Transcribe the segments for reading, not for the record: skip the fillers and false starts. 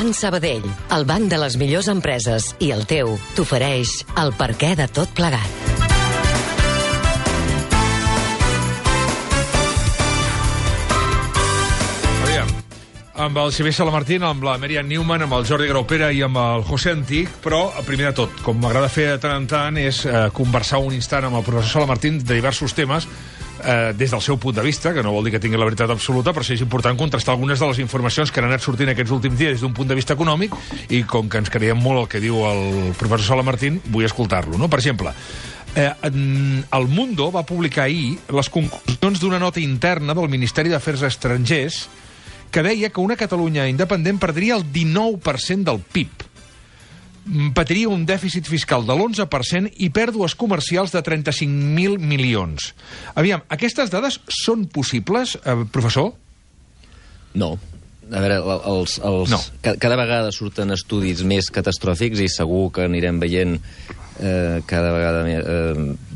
Banc Sabadell, el banc de les millors empreses i el teu, t'ofereix el perquè de tot plegat. Amb el Xavier Salamartín, amb la Merian Newman, amb el Jordi Graupera i amb el José Antic, però, primer de tot, com m'agrada fer de tant en tant, és conversar un instant amb el professor Salamartín de diversos temes des del seu punt de vista, que no vol dir que tingui la veritat absoluta, però sí és important contrastar algunes de les informacions que han anat sortint aquests últims dies des d'un punt de vista econòmic, i com que ens creiem molt el que diu el professor Salamartín, vull escoltar-lo, no? Per exemple, El Mundo va publicar ahir les conclusions d'una nota interna del Ministeri d'Afers Estrangers que deia que una Catalunya independent perdria el 19% del PIB, patiria un dèficit fiscal de l'11% i pèrdues comercials de 35.000 milions. Aviam, aquestes dades són possibles, professor? No. A veure, no. Cada vegada surten estudis més catastròfics i segur que anirem veient cada vegada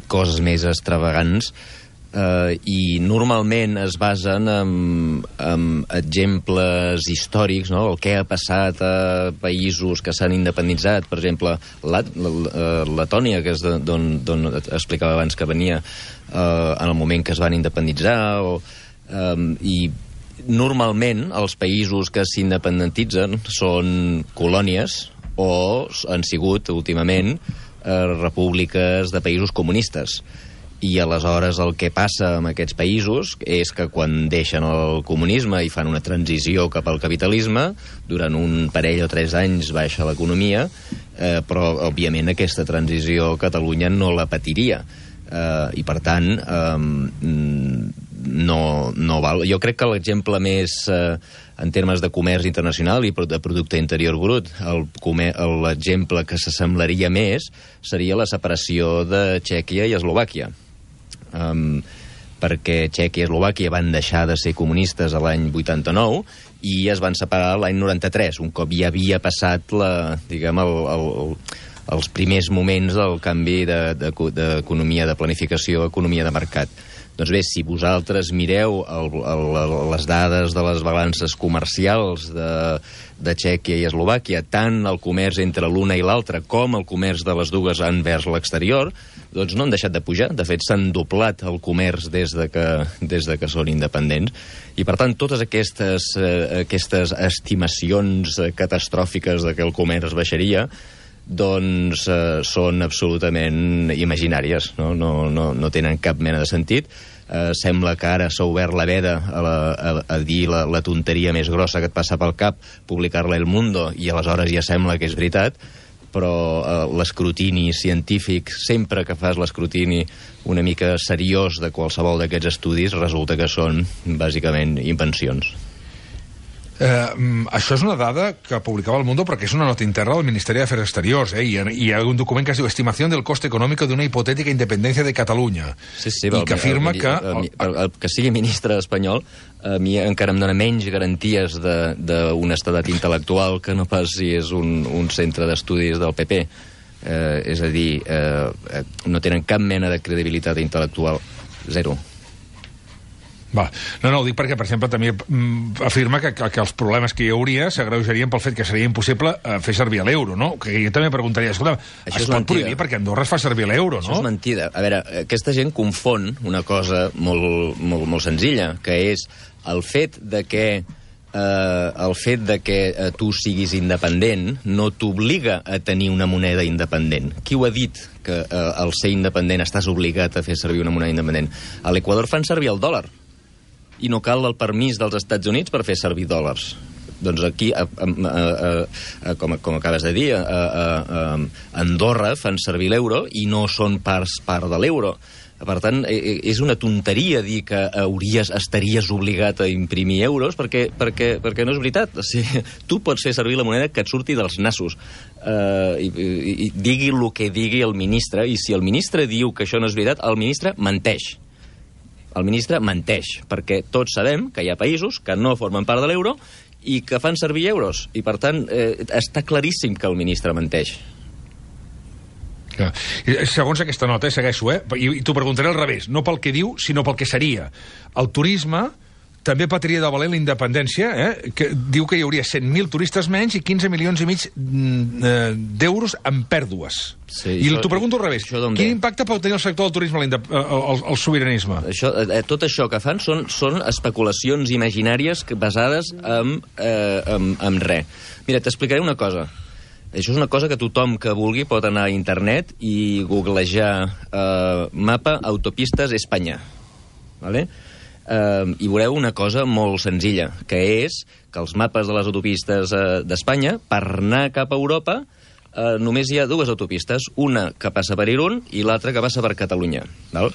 coses més extravagants. I normalment es basen en exemples històrics, no? El que ha passat a països que s'han independitzat, per exemple, Letònia, que és d'on explicava abans que venia, en el moment que es van independitzar, i normalment els països que s'independitzen són colònies o han sigut, últimament, repúbliques de països comunistes. I aleshores el que passa amb aquests països és que quan deixen el comunisme i fan una transició cap al capitalisme, durant un parell o 3 anys baixa l'economia, però òbviament aquesta transició Catalunya no la patiria. I per tant no val. Jo crec que l'exemple més en termes de comerç internacional i de producte interior brut, l'exemple que s'assemblaria més seria la separació de Txèquia i Eslovàquia. Perquè Txèquia i Eslovàquia van deixar de ser comunistes a l'any 89 i es van separar l'any 93, un cop ja havia passat els primers moments del canvi d'economia de planificació a economia de mercat. Doncs bé, si vosaltres mireu les dades de les balances comercials de Txèquia i Eslovàquia, tant el comerç entre l'una i l'altra com el comerç de les dues envers l'exterior, doncs no han deixat de pujar. De fet, s'han doblat el comerç des de que són independents. I, per tant, totes aquestes estimacions catastròfiques de que el comerç baixaria doncs són absolutament imaginàries, no tenen cap mena de sentit. Sembla que ara s'ha obert la veda a dir la tonteria més grossa que et passa pel cap, publicar-la El Mundo, i aleshores ja sembla que és veritat, però l'escrutini científic, sempre que fas l'escrutini una mica seriós de qualsevol d'aquests estudis, resulta que són bàsicament invencions. Això és una dada que publicava El Mundo perquè és una nota interna del Ministeri d'Afers Exteriors, i hi ha un document que es diu Estimación del coste económico de una hipotética independencia de Catalunya, i que afirma que... El que sigui ministre espanyol a mi encara em dona menys garanties d'honestedat intel·lectual que no pas si és un centre d'estudis del PP. És a dir, no tenen cap mena de credibilitat intel·lectual. Zero. Va. No, ho dic perquè, per exemple, també afirma que els problemes que hi hauria s'agreujarien pel fet que seria impossible fer servir l'euro, no? Que jo també preguntaria, escolta, es pot prohibir perquè Andorra es fa servir l'euro, no? Això és mentida. A veure, aquesta gent confon una cosa molt senzilla, que és el fet de que tu siguis independent no t'obliga a tenir una moneda independent. Qui ho ha dit, que al ser independent estàs obligat a fer servir una moneda independent? A l'Equador fan servir el dòlar i no cal el permís dels Estats Units per fer servir dòlars. Doncs aquí, com acabes de dir, a Andorra fan servir l'euro i no són part de l'euro. Per tant, és una tonteria dir que estaries obligat a imprimir euros perquè no és veritat. O sigui, tu pots fer servir la moneda que et surti dels nassos. I digui el que digui el ministre, i si el ministre diu que això no és veritat, el ministre menteix. El ministre menteix, perquè tots sabem que hi ha països que no formen part de l'euro i que fan servir euros. I, per tant, està claríssim que el ministre menteix. Segons aquesta nota, segueixo, i t'ho preguntaré al revés, no pel que diu, sinó pel que seria. El turisme també patiria de valent la independència, que diu que hi hauria 100.000 turistes menys i 15 milions i mig d'euros en pèrdues. Sí, I t'ho pregunto al revés. Quin impacte pot tenir el sector del turisme el sobiranisme? Tot això que fan són especulacions imaginàries basades en res. Mira, t'explicaré una cosa. Això és una cosa que tothom que vulgui pot anar a internet i googlejar mapa autopistes Espanya. Vale? I veureu una cosa molt senzilla, que és que els mapes de les autopistes d'Espanya, per anar cap a Europa, només hi ha dues autopistes, una que passa per Irún i l'altra que passa per Catalunya. Val?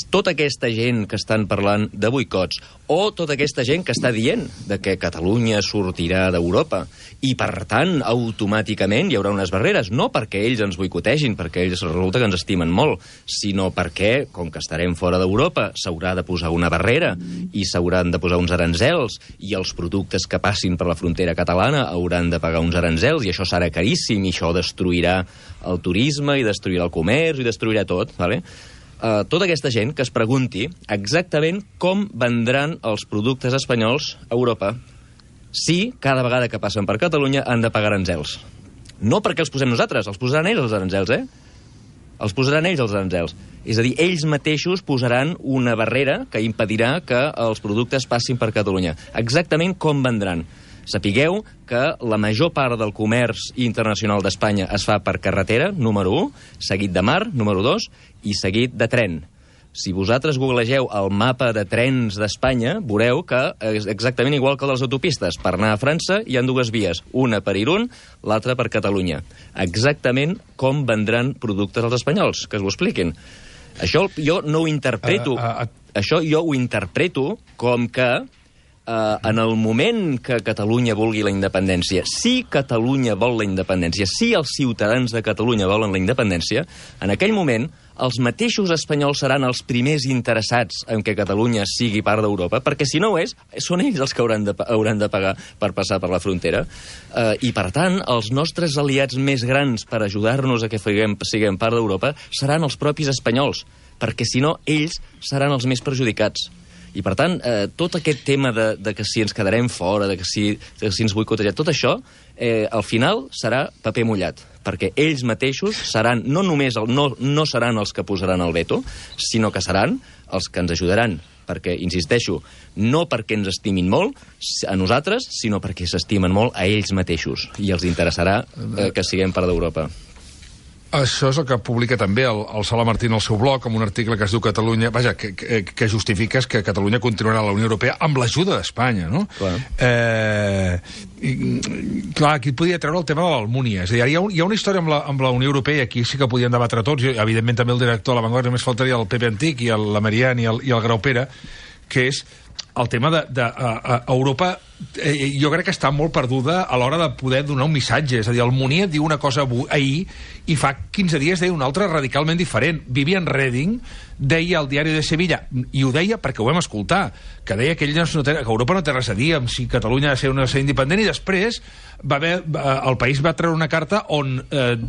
Tota aquesta gent que estan parlant de boicots, o tota aquesta gent que està dient de que Catalunya sortirà d'Europa, i per tant, automàticament hi haurà unes barreres, no perquè ells ens boicotegin, perquè ells resulta que ens estimen molt, sinó perquè, com que estarem fora d'Europa, s'haurà de posar una barrera, i s'hauran de posar uns aranzels, i els productes que passin per la frontera catalana hauran de pagar uns aranzels, i això serà caríssim, i això destruirà el turisme, i destruirà el comerç, i destruirà tot, vale? Tota aquesta gent que es pregunti exactament com vendran els productes espanyols a Europa si cada vegada que passen per Catalunya han de pagar aranzels. No perquè els posem nosaltres, els posaran ells els aranzels, Els posaran ells els aranzels. És a dir, ells mateixos posaran una barrera que impedirà que els productes passin per Catalunya. Exactament com vendran. Sapigueu que la major part del comerç internacional d'Espanya es fa per carretera, número 1, seguit de mar, número 2, i seguit de tren. Si vosaltres googlegeu el mapa de trens d'Espanya, veureu que és exactament igual que el de les autopistes. Per anar a França hi ha dues vies, una per Irún, l'altra per Catalunya. Exactament com vendran productes els espanyols, que us ho expliquin. Això jo no ho interpreto... Això jo ho interpreto com que en el moment que Catalunya vulgui la independència, si Catalunya vol la independència, si els ciutadans de Catalunya volen la independència, en aquell moment els mateixos espanyols seran els primers interessats en que Catalunya sigui part d'Europa, perquè si no ho és, són ells els que hauran de pagar per passar per la frontera. I, per tant, els nostres aliats més grans per ajudar-nos a que siguem part d'Europa seran els propis espanyols, perquè si no, ells seran els més perjudicats. I, per tant, tot aquest tema de que si ens quedarem fora, de que si ens boicotejarà, tot això, al final, serà paper mullat, perquè ells mateixos seran, no només no seran els que posaran el veto, sinó que seran els que ens ajudaran, perquè, insisteixo, no perquè ens estimin molt a nosaltres, sinó perquè s'estimen molt a ells mateixos, i els interessarà que siguem part d'Europa. Això és el que publica també el Sala Martín al seu blog, amb un article que es diu Catalunya... Vaja, que justifiques que Catalunya continuarà a la Unió Europea amb l'ajuda d'Espanya, no? Clar. Clar, aquí podria treure el tema de l'Almúnia. És a dir, hi ha una història amb la Unió Europea, i aquí sí que podien debatre tots, i evidentment també el director de La Vanguardia, només faltaria el Pepe Antic i la Marian i el Graupera, que és el tema Europa, jo crec que està molt perduda a l'hora de poder donar un missatge. És a dir, el Munier diu una cosa ahir i fa 15 dies deia una altra radicalment diferent. Vivian Reding deia al diari de Sevilla, i ho deia perquè ho vam escoltar, que deia que Europa no té res a dir amb si Catalunya ha de ser independent, i després el país va treure una carta on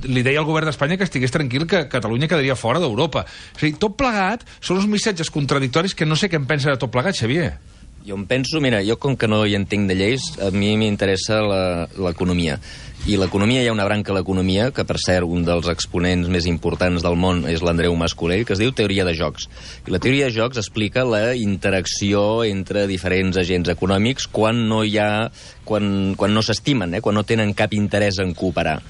li deia al govern d'Espanya que estigués tranquil, que Catalunya quedaria fora d'Europa. És a dir, tot plegat són uns missatges contradictoris que no sé què en pensa de tot plegat, Xavier. Jo em penso, mira, jo com que no hi entenc de lleis, a mi m'interessa l'economia. I l'economia, hi ha una branca de l'economia, que per cert, un dels exponents més importants del món és l'Andreu Mas-Colell, que es diu teoria de jocs. I la teoria de jocs explica la interacció entre diferents agents econòmics quan no s'estimen, quan no tenen cap interès en cooperar.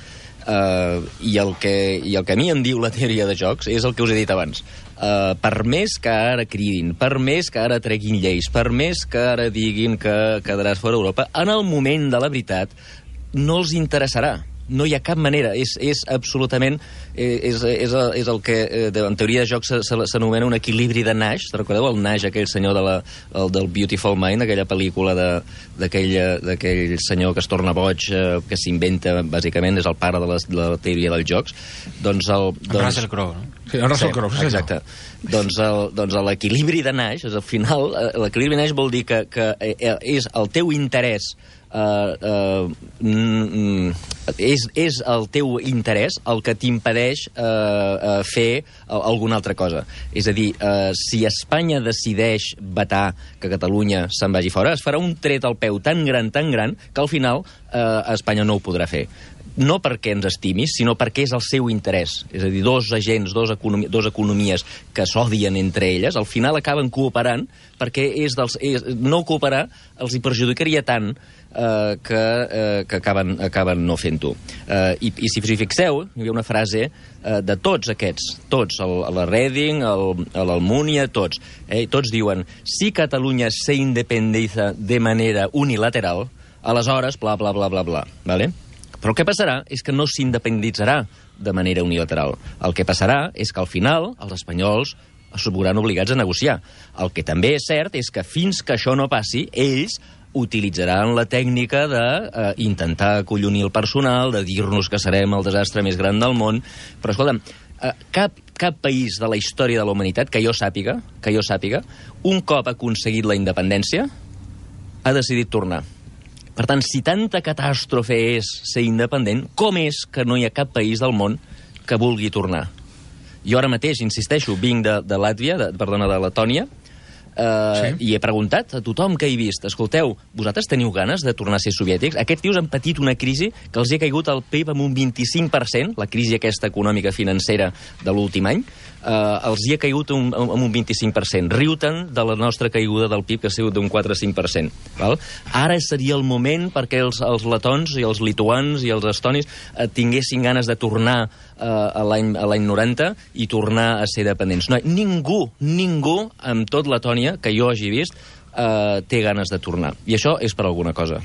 I el que a mi em diu la teoria de jocs és el que us he dit abans. Per més que ara cridin, per més que ara treguin lleis, per més que ara diguin que quedaràs fora d'Europa, en el moment de la veritat no els interessarà. No hi ha cap manera. És absolutament... És el que en teoria de jocs s'anomena un equilibri de Nash. Recordeu el Nash, aquell senyor del Beautiful Mind, aquella pel·lícula d'aquell senyor que es torna boig, que s'inventa, bàsicament, és el pare de la teoria dels jocs. Russell Crowe, no? Sí, en Russell Crowe, sí, exacte. Doncs l'equilibri de Nash, al final, l'equilibri de Nash vol dir que és el teu interès, és el teu interès el que t'impedeix fer alguna altra cosa. És a dir, si Espanya decideix vetar que Catalunya se'n vagi fora, es farà un tret al peu tan gran, que al final Espanya no ho podrà fer. No perquè ens estimis, sinó perquè és el seu interès. És a dir, dos agents, dos economies que s'odien entre elles, al final acaben cooperant, perquè no cooperar els hi perjudicaria tant que acaben no fent-ho. I si us hi fixeu, hi havia una frase de tots aquests, la Reding, l'Almunia, tots diuen, si Catalunya se independiza de manera unilateral, aleshores, bla, bla, bla, bla, bla, ¿vale? Però el que passarà és que no s'independitzarà de manera unilateral. El que passarà és que al final els espanyols es veuran obligats a negociar. El que també és cert és que fins que això no passi, ells utilitzaran la tècnica d'intentar acollonir el personal, de dir-nos que serem el desastre més gran del món. Però, escolta'm, cap país de la història de la humanitat, que jo sàpiga, un cop aconseguit la independència, ha decidit tornar. Per tant, si tanta catàstrofe és ser independent, com és que no hi ha cap país del món que vulgui tornar? Jo ara mateix, insisteixo, vinc de Làtvia, de Letònia, i he preguntat a tothom que he vist, escolteu, vosaltres teniu ganes de tornar a ser soviètics? Aquests tios han patit una crisi que els hi ha caigut el PIB amb un 25%, la crisi aquesta econòmica financera de l'últim any, els hi ha caigut amb un 25%. Riu-te'n de la nostra caiguda del PIB, que ha sigut d'un 4-5%. Val? Ara seria el moment perquè els letons i els lituans i els estonis tinguessin ganes de tornar a l'any 90 i tornar a ser dependents. No, ningú amb tot Letònia que jo hagi vist té ganes de tornar. I això és per alguna cosa.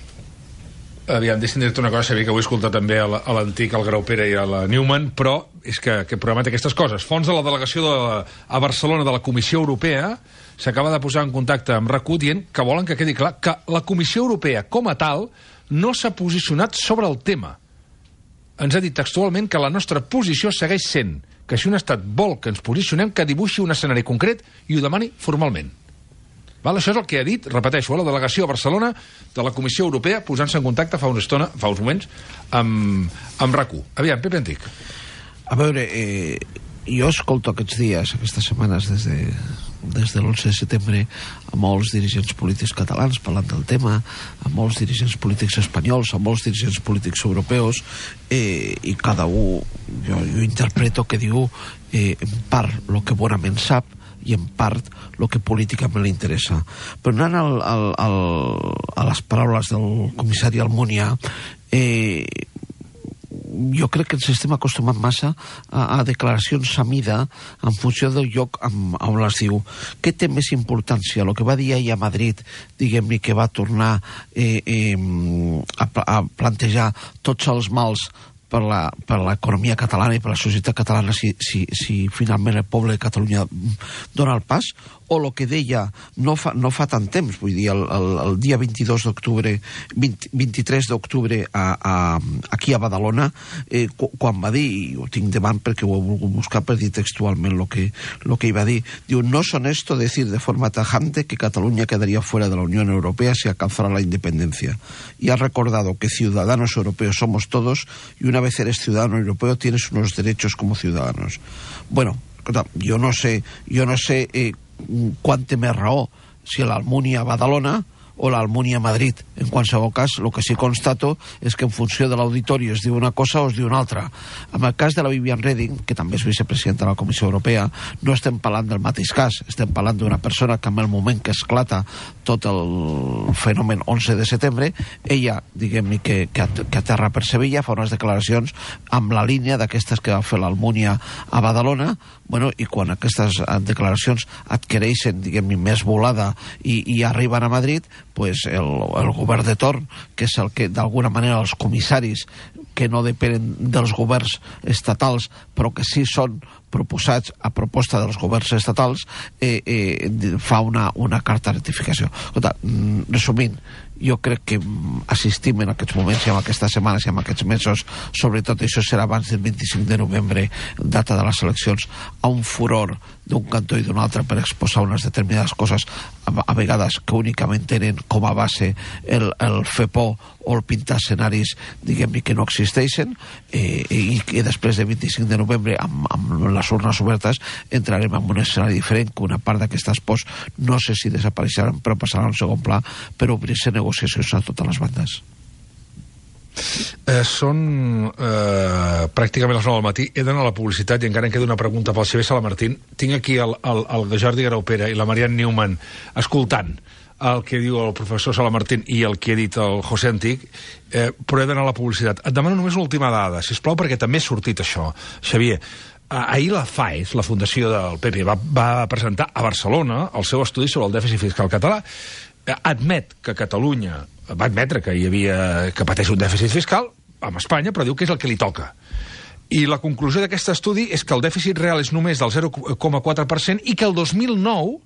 Aviam, deixa'm dir-te una cosa, sabia que ho he escoltat també a l'antic, al Graupera i a la Newman, però és que aquest programa té aquestes coses. Fons de la delegació a Barcelona de la Comissió Europea s'acaba de posar en contacte amb RAC1 dient que volen que quedi clar que la Comissió Europea, com a tal, no s'ha posicionat sobre el tema. Ens ha dit textualment que la nostra posició segueix sent que si un estat vol que ens posicionem, que dibuixi un escenari concret i ho demani formalment. Val? Això és el que ha dit, repeteixo, la delegació a Barcelona de la Comissió Europea posant-se en contacte fa uns moments, amb RAC1. Aviam, Pepe Antic. A veure, jo escolto aquests dies, aquestes setmanes, des de l'11 de setembre, a molts dirigents polítics catalans parlant del tema, a molts dirigents polítics espanyols, a molts dirigents polítics europeus, i cada un, jo interpreto que diu en part el que bonament sap i en part el que políticament li interessa. Però anant a les paraules del comissari Almunia, jo crec que ens estem acostumant massa a declaracions a mida en funció del lloc on les diu. Què té més importància? El que va dir ella a Madrid, diguem-ne, que va tornar a plantejar tots els mals per l'economia catalana i per la societat catalana si finalment el poble de Catalunya dona el pas, o el que deia no fa tant temps, vull dir, el dia 23 d'octubre aquí a Badalona, quan va dir, i ho tinc davant perquè ho he volgut buscar per dir textualment el que hi va dir, diu, no es honesto decir de forma tajante que Cataluña quedaría fuera de la Unión Europea si alcanzara la independencia. Y ha recordado que ciudadanos europeos somos todos y una vez eres ciudadano europeo tienes unos derechos como ciudadanos. Bueno, jo no sé quant té més raó, si l'Almunia a Badalona o l'Almunia a Madrid. En qualsevol cas, el que sí constato és que en funció de l'auditori es diu una cosa o es diu una altra. En el cas de la Viviane Reding, que també és vicepresidenta de la Comissió Europea, no estem parlant del mateix cas, estem parlant d'una persona que en el moment que esclata tot el fenomen 11 de setembre, ella, diguem-ne, que aterra per Sevilla, fa unes declaracions amb la línia d'aquestes que va fer l'Almunia a Badalona, bueno, i quan aquestes declaracions adquireixen, diguem-ne, més volada i arriben a Madrid, pues el govern de torn, que és el que d'alguna manera els comissaris que no depenen dels governs estatals però que sí són proposats a proposta dels governs estatals, fa una carta de rectificació. Resumint, jo crec que assistim en aquests moments i en aquestes setmanes i en aquests mesos, sobretot això serà abans del 25 de novembre, data de les eleccions, a un furor d'un cantó i d'un altre per exposar unes determinades coses, a vegades que únicament tenen com a base el fer por o el pintar escenaris, diguem-ne, que no existeixen, i que després del 25 de novembre, amb les urnes obertes, entrarem en un escenari diferent, que una part d'aquestes pors no sé si desapareixeran, però passaran al segon pla per obrir-se negociacions a totes les bandes. Són pràcticament les 9 del matí. He d'anar a la publicitat i encara em queda una pregunta pel Xavier Salamartín. Tinc aquí el Jordi Graupera i la Marianne Newman escoltant el que diu el professor Salamartín i el que ha dit el José Antic, però he d'anar a la publicitat. Et demano només l'última dada, sisplau, perquè també ha sortit això. Xavier, ahir la FAES, la Fundació del PP, va presentar a Barcelona el seu estudi sobre el dèficit fiscal català. Admet que Catalunya va admetre que que pateix un dèficit fiscal amb Espanya, però diu que és el que li toca. I la conclusió d'aquest estudi és que el dèficit real és només del 0,4% i que el 2009,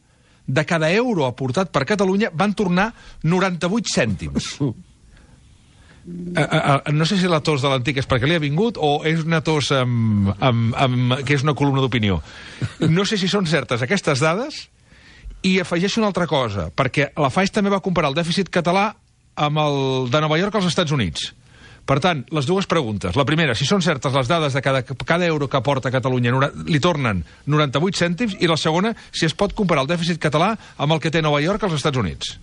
de cada euro aportat per Catalunya, van tornar 98 cèntims. No sé si la tos de l'Antic és perquè li ha vingut o és una tos que és una columna d'opinió. No sé si són certes aquestes dades. I afegeixo una altra cosa, perquè la FAES també va comparar el dèficit català amb el de Nova York als Estats Units. Per tant, les dues preguntes. La primera, si són certes les dades de cada euro que aporta Catalunya, li tornen 98 cèntims, i la segona, si es pot comparar el dèficit català amb el que té Nova York als Estats Units.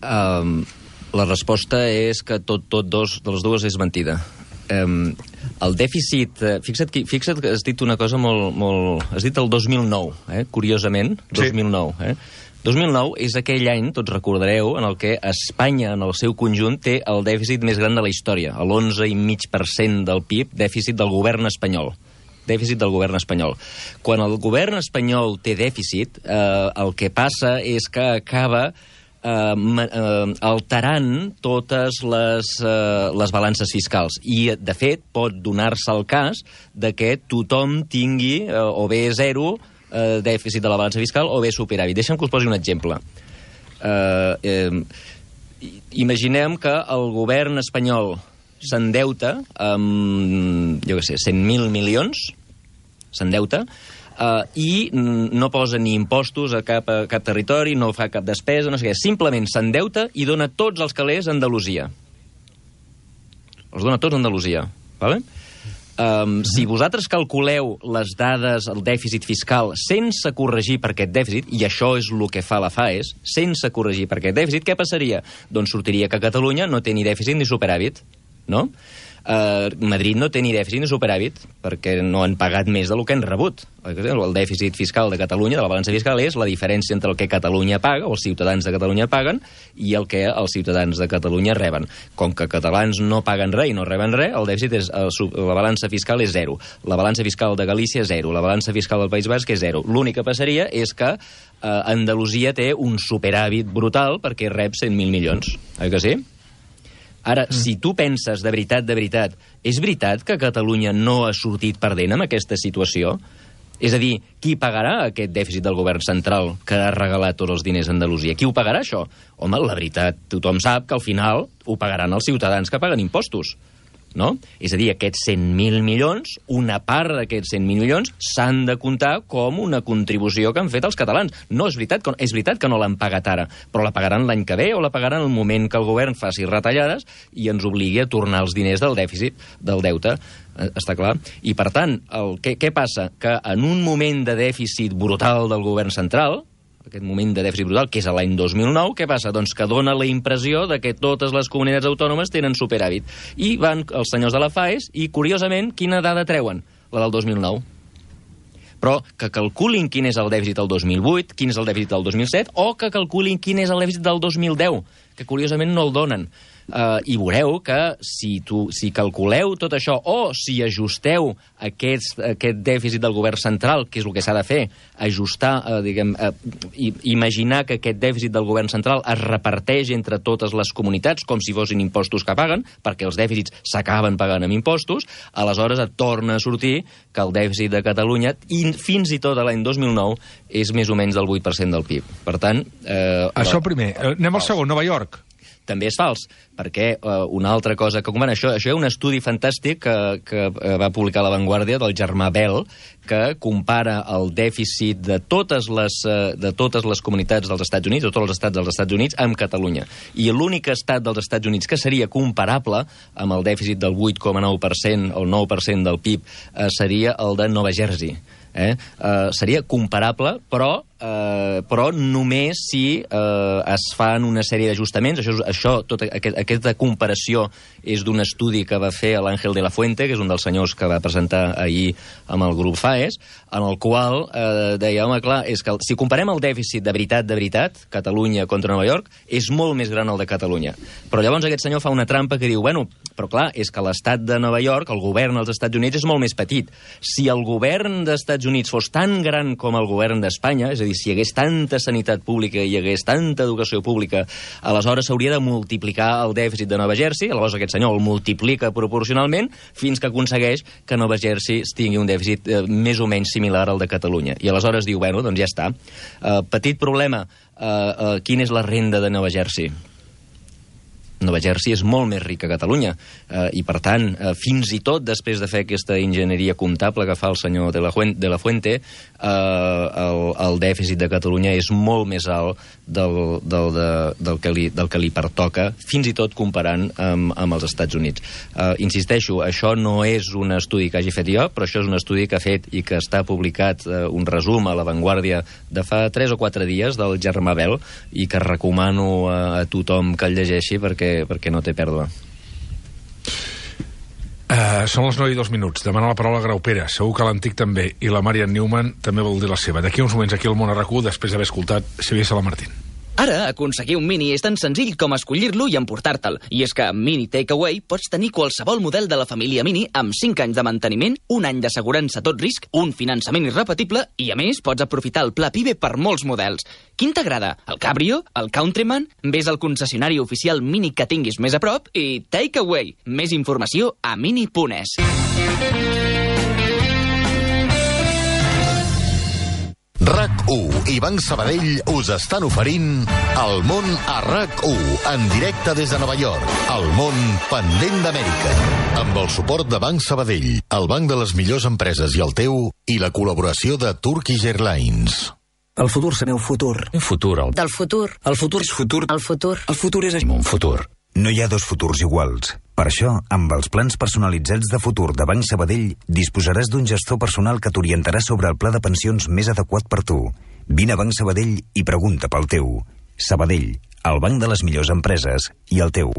La resposta és que de les dues és mentida. El dèficit... Fixa't que has dit una cosa molt... Has dit el 2009, curiosament, 2009. 2009 és aquell any, tots recordareu, en el que Espanya, en el seu conjunt, té el dèficit més gran de la història, l'11,5% del PIB, dèficit del govern espanyol. Dèficit del govern espanyol. Quan el govern espanyol té dèficit, el que passa és que acaba alterant totes les balances fiscals i, de fet, pot donar-se el cas de que tothom tingui o bé zero dèficit de la balança fiscal o bé superàvit. Deixa'm que us posi un exemple. Imaginem que el govern espanyol s'endeuta amb, 100.000 milions, s'endeuta, i no posa ni impostos a cap territori, no fa cap despesa, no sé què. Simplement s'endeuta i dona tots els calés a Andalusia. Els dona tots a Andalusia. Vale? Si vosaltres calculeu les dades, el dèficit fiscal, sense corregir per aquest dèficit, i això és el que fa la FAES, sense corregir per aquest dèficit, què passaria? Doncs sortiria que Catalunya no té ni dèficit ni superàvit, no? Madrid no té ni dèficit ni superàvit perquè no han pagat més del que han rebut. El dèficit fiscal de Catalunya, de la balança fiscal, és la diferència entre el que Catalunya paga, o els ciutadans de Catalunya paguen, i el que els ciutadans de Catalunya reben. Com que catalans no paguen res i no reben res, el dèficit és, la balança fiscal és zero. La balança fiscal de Galícia és zero. La balança fiscal del País Basc és zero. L'únic que passaria és que Andalusia té un superàvit brutal perquè rep 100.000 milions. Oi que sí? Ara, si tu penses de veritat, és veritat que Catalunya no ha sortit perdent amb aquesta situació? És a dir, qui pagarà aquest dèficit del govern central que ha regalat tots els diners a Andalusia? Qui ho pagarà, això? Home, la veritat, tothom sap que al final ho pagaran els ciutadans que paguen impostos, no? És a dir, aquests 100.000 milions, una part d'aquests 100.000 milions s'han de comptar com una contribució que han fet els catalans. No, és veritat que no l'han pagat ara, però la pagaran l'any que ve o la pagaran el moment que el govern faci retallades i ens obligui a tornar els diners del dèficit, del deute, està clar? I, per tant, què passa? Que en un moment de dèficit brutal del govern central, aquest moment de dèficit brutal, que és l'any 2009, què passa? Doncs que dona la impressió de que totes les comunitats autònomes tenen superàvit. I van els senyors de la FAES i, curiosament, quina dada treuen? La del 2009. Però que calculin quin és el dèficit del 2008, quin és el dèficit del 2007, o que calculin quin és el dèficit del 2010, que curiosament no el donen. i veureu que si calculeu tot això o si ajusteu aquest dèficit del govern central, que és el que s'ha de fer, ajustar, imaginar que aquest dèficit del govern central es reparteix entre totes les comunitats com si fossin impostos que paguen, perquè els dèficits s'acaben pagant amb impostos, aleshores et torna a sortir que el dèficit de Catalunya, fins i tot a l'any 2009, és més o menys del 8% del PIB. Per tant... Això primer. Anem al segon, Nova York. També és fals, perquè una altra cosa que... Això hi ha un estudi fantàstic que va publicar La Vanguardia del germà Bell, que compara el dèficit de totes les comunitats dels Estats Units, de tots els estats dels Estats Units, amb Catalunya. I l'únic estat dels Estats Units que seria comparable amb el dèficit del 8,9% o el 9% del PIB seria el de Nova Jersey. Seria comparable, però només si es fan una sèrie d'ajustaments. Tota aquesta comparació és d'un estudi que va fer l'Àngel de la Fuente, que és un dels senyors que va presentar ahir amb el grup FAES, en el qual deia, home, clar, és que si comparem el dèficit de veritat, Catalunya contra Nova York, és molt més gran el de Catalunya. Però llavors aquest senyor fa una trampa que diu, bueno, però clar, és que l'estat de Nova York, el govern dels Estats Units, és molt més petit. Si el govern dels Estats Units fos tan gran com el govern d'Espanya, és a dir, si hi hagués tanta sanitat pública i hi hagués tanta educació pública, aleshores s'hauria de multiplicar el dèficit de Nova Jersey, aleshores aquest senyor el multiplica proporcionalment fins que aconsegueix que Nova Jersey tingui un dèficit més o menys similar al de Catalunya. I aleshores diu, bueno, doncs ja està. Petit problema, quina és la renda de Nova Jersey? Nova Jersey és molt més rica que Catalunya i, per tant, fins i tot després de fer aquesta enginyeria comptable que fa el senyor de la Fuente, el dèficit de Catalunya és molt més alt del que li pertoca, fins i tot comparant amb els Estats Units. Insisteixo, això no és un estudi que hagi fet jo, però això és un estudi que ha fet i que està publicat un resum a La Vanguardia de fa 3 o 4 dies del germà Bell i que recomano a tothom que el llegeixi perquè no té pèrdua. Són les 9:02. Demana la paraula Graupera. Segur que l'Antic també. I la Marian Newman també vol dir la seva. D'aquí uns moments aquí al Món a RAC1, després d'haver escoltat Xavier Salamartín. Ara, aconseguir un Mini és tan senzill com escollir-lo i emportar-te'l. I és que amb Mini Takeaway pots tenir qualsevol model de la família Mini amb 5 anys de manteniment, 1 any d'assegurança a tot risc, un finançament irrepetible i, a més, pots aprofitar el pla PIBE per molts models. Quin t'agrada? El Cabrio? El Countryman? Ves al concessionari oficial Mini que tinguis més a prop i Takeaway. Més informació a mini.es. RAC1 i Banc Sabadell us estan oferint El Món a RAC1, en directe des de Nova York. El món pendent d'Amèrica. Amb el suport de Banc Sabadell, el banc de les millors empreses i el teu, i la col·laboració de Turkish Airlines. El futur serà un futur. Un futur. Del futur. El futur és futur. El futur. El futur és Un futur. No hi ha dos futurs iguals. Per això, amb els plans personalitzats de futur de Banc Sabadell, disposaràs d'un gestor personal que t'orientarà sobre el pla de pensions més adequat per tu. Vine a Banc Sabadell i pregunta pel teu. Sabadell, el banc de les millors empreses i el teu.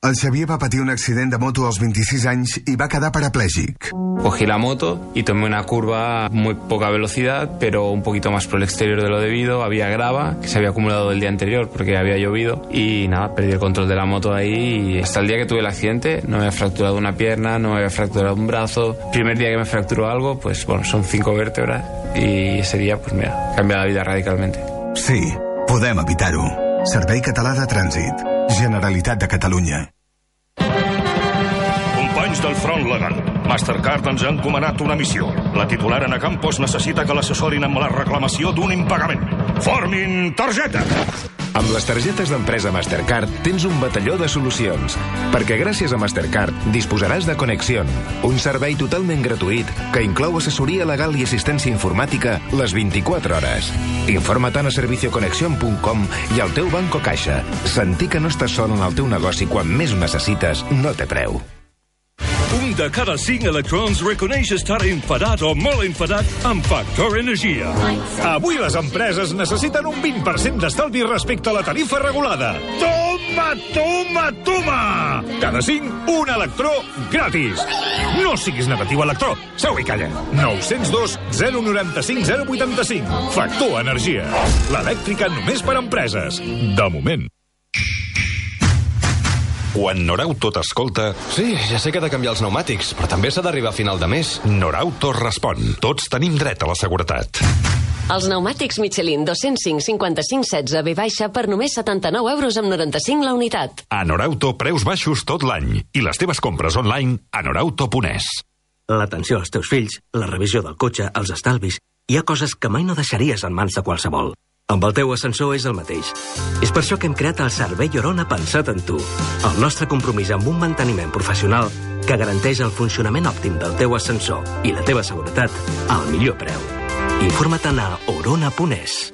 El Xavier va patir un accident de moto als 26 anys y va a quedar parapléjic. Cogí la moto y tomé una curva a muy poca velocidad, pero un poquito más por el exterior de lo debido. Había grava que se había acumulado el día anterior porque había llovido y nada, perdí el control de la moto ahí y hasta el día que tuve el accidente no me había fracturado una pierna, no me había fracturado un brazo. Primer día que me fracturó algo, pues bueno, son 5 vértebras y ese día, pues mira, cambia la vida radicalmente. Sí, podem evitar-ho. Servei Català de Trànsit. Generalitat de Catalunya. Companys del Front Legal, Mastercard ens ha encomanat una missió. La titular Ana Campos necessita que l'assessorin amb la reclamació d'un impagament. Formin targeta! Amb les targetes d'empresa Mastercard tens un batalló de solucions, perquè gràcies a Mastercard disposaràs de Conexión, un servei totalment gratuït que inclou assessoria legal i assistència informàtica les 24 hores. Informa't a servicioconexion.com i al teu banc o caixa. Sentir que no estàs sol en el teu negoci quan més ho necessites no té preu. Un de cada 5 electrons reconeix estar enfadat o molt enfadat amb Factor Energia. Avui les empreses necessiten un 20% d'estalvi respecte a la tarifa regulada. Toma, toma, toma! Cada 5, un electró gratis. No siguis negatiu, electró. Seu i calla. 902 095 085. Factor Energia. L'elèctrica només per empreses. De moment. Quan Norauto t'escolta... Sí, ja sé que he de canviar els pneumàtics, però també s'ha d'arribar a final de mes. Norauto respon. Tots tenim dret a la seguretat. Els pneumàtics Michelin 205 55 16 V- per només 79,95 € la unitat. A Norauto, preus baixos tot l'any. I les teves compres online a norauto.es. L'atenció als teus fills, la revisió del cotxe, els estalvis... Hi ha coses que mai no deixaries en mans de qualsevol. Amb el teu ascensor és el mateix. És per això que hem creat el Servei Orona pensat en tu. El nostre compromís amb un manteniment professional que garanteix el funcionament òptim del teu ascensor i la teva seguretat al millor preu. Informa't a orona.es.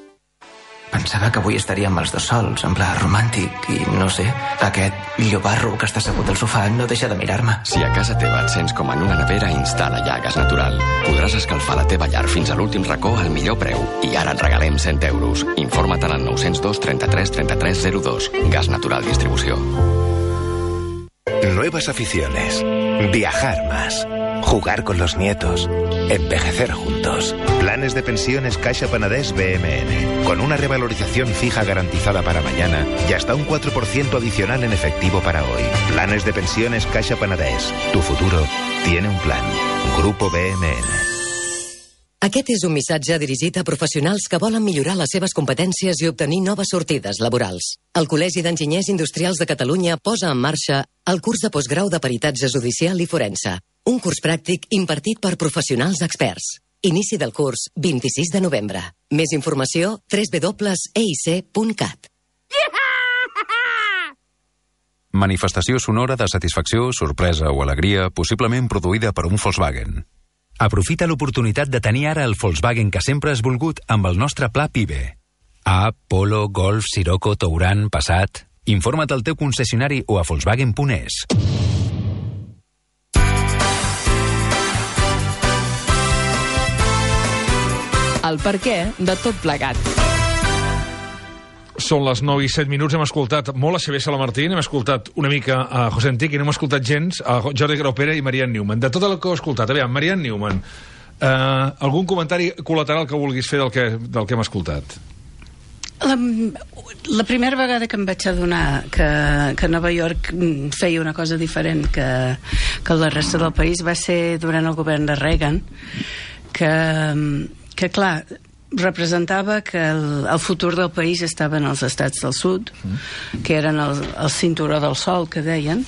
Pensava que avui estaria amb els dos sols, en pla romàntic, i no sé, aquest llobarro que està assegut al sofà no deixa de mirar-me. Si a casa teva et sents com en una nevera, instal·la ja Gas Natural. Podràs escalfar la teva llar fins a l'últim racó al millor preu. I ara et regalem 100 €. Informa't al 902 33 33 02. Gas Natural Distribució. Nuevas aficiones. Viajar más. Jugar con los nietos. Envejecer juntos. Planes de pensiones Caixa Penedés BMN. Con una revalorización fija garantizada para mañana y hasta un 4% adicional en efectivo para hoy. Planes de pensiones Caixa Penedés. Tu futuro tiene un plan. Grupo BMN. Aquest és un missatge dirigit a professionals que volen millorar les seves competències i obtenir noves sortides laborals. El Col·legi d'Enginyers Industrials de Catalunya posa en marxa el curs de postgrau de Peritatge Judicial i Forense. Un curs pràctic impartit per professionals experts. Inici del curs 26 de novembre. Més informació www.eic.cat. Manifestació sonora de satisfacció, sorpresa o alegria, possiblement produïda per un Volkswagen. Aprofita l'oportunitat de tenir ara el Volkswagen que sempre has volgut amb el nostre pla PIBE. A, Polo, Golf, Sirocco, Touran, Passat... Informa't al teu concessionari o a Volkswagen.es. El perquè de tot plegat. Són les 9 i 7 minuts, hem escoltat molt a Xavier Salamartín, hem escoltat una mica a José Antic i no hem escoltat gens a Jordi Graupera i Marianne Newman. De tot el que heu escoltat, aviam, Marianne Newman, algun comentari col·lateral que vulguis fer del que hem escoltat? La primera vegada que em vaig adonar que Nova York feia una cosa diferent que la resta del país va ser durant el govern de Reagan, que clar, representava que el futur del país estava en els estats del sud, que eren el cinturó del sol, que deien,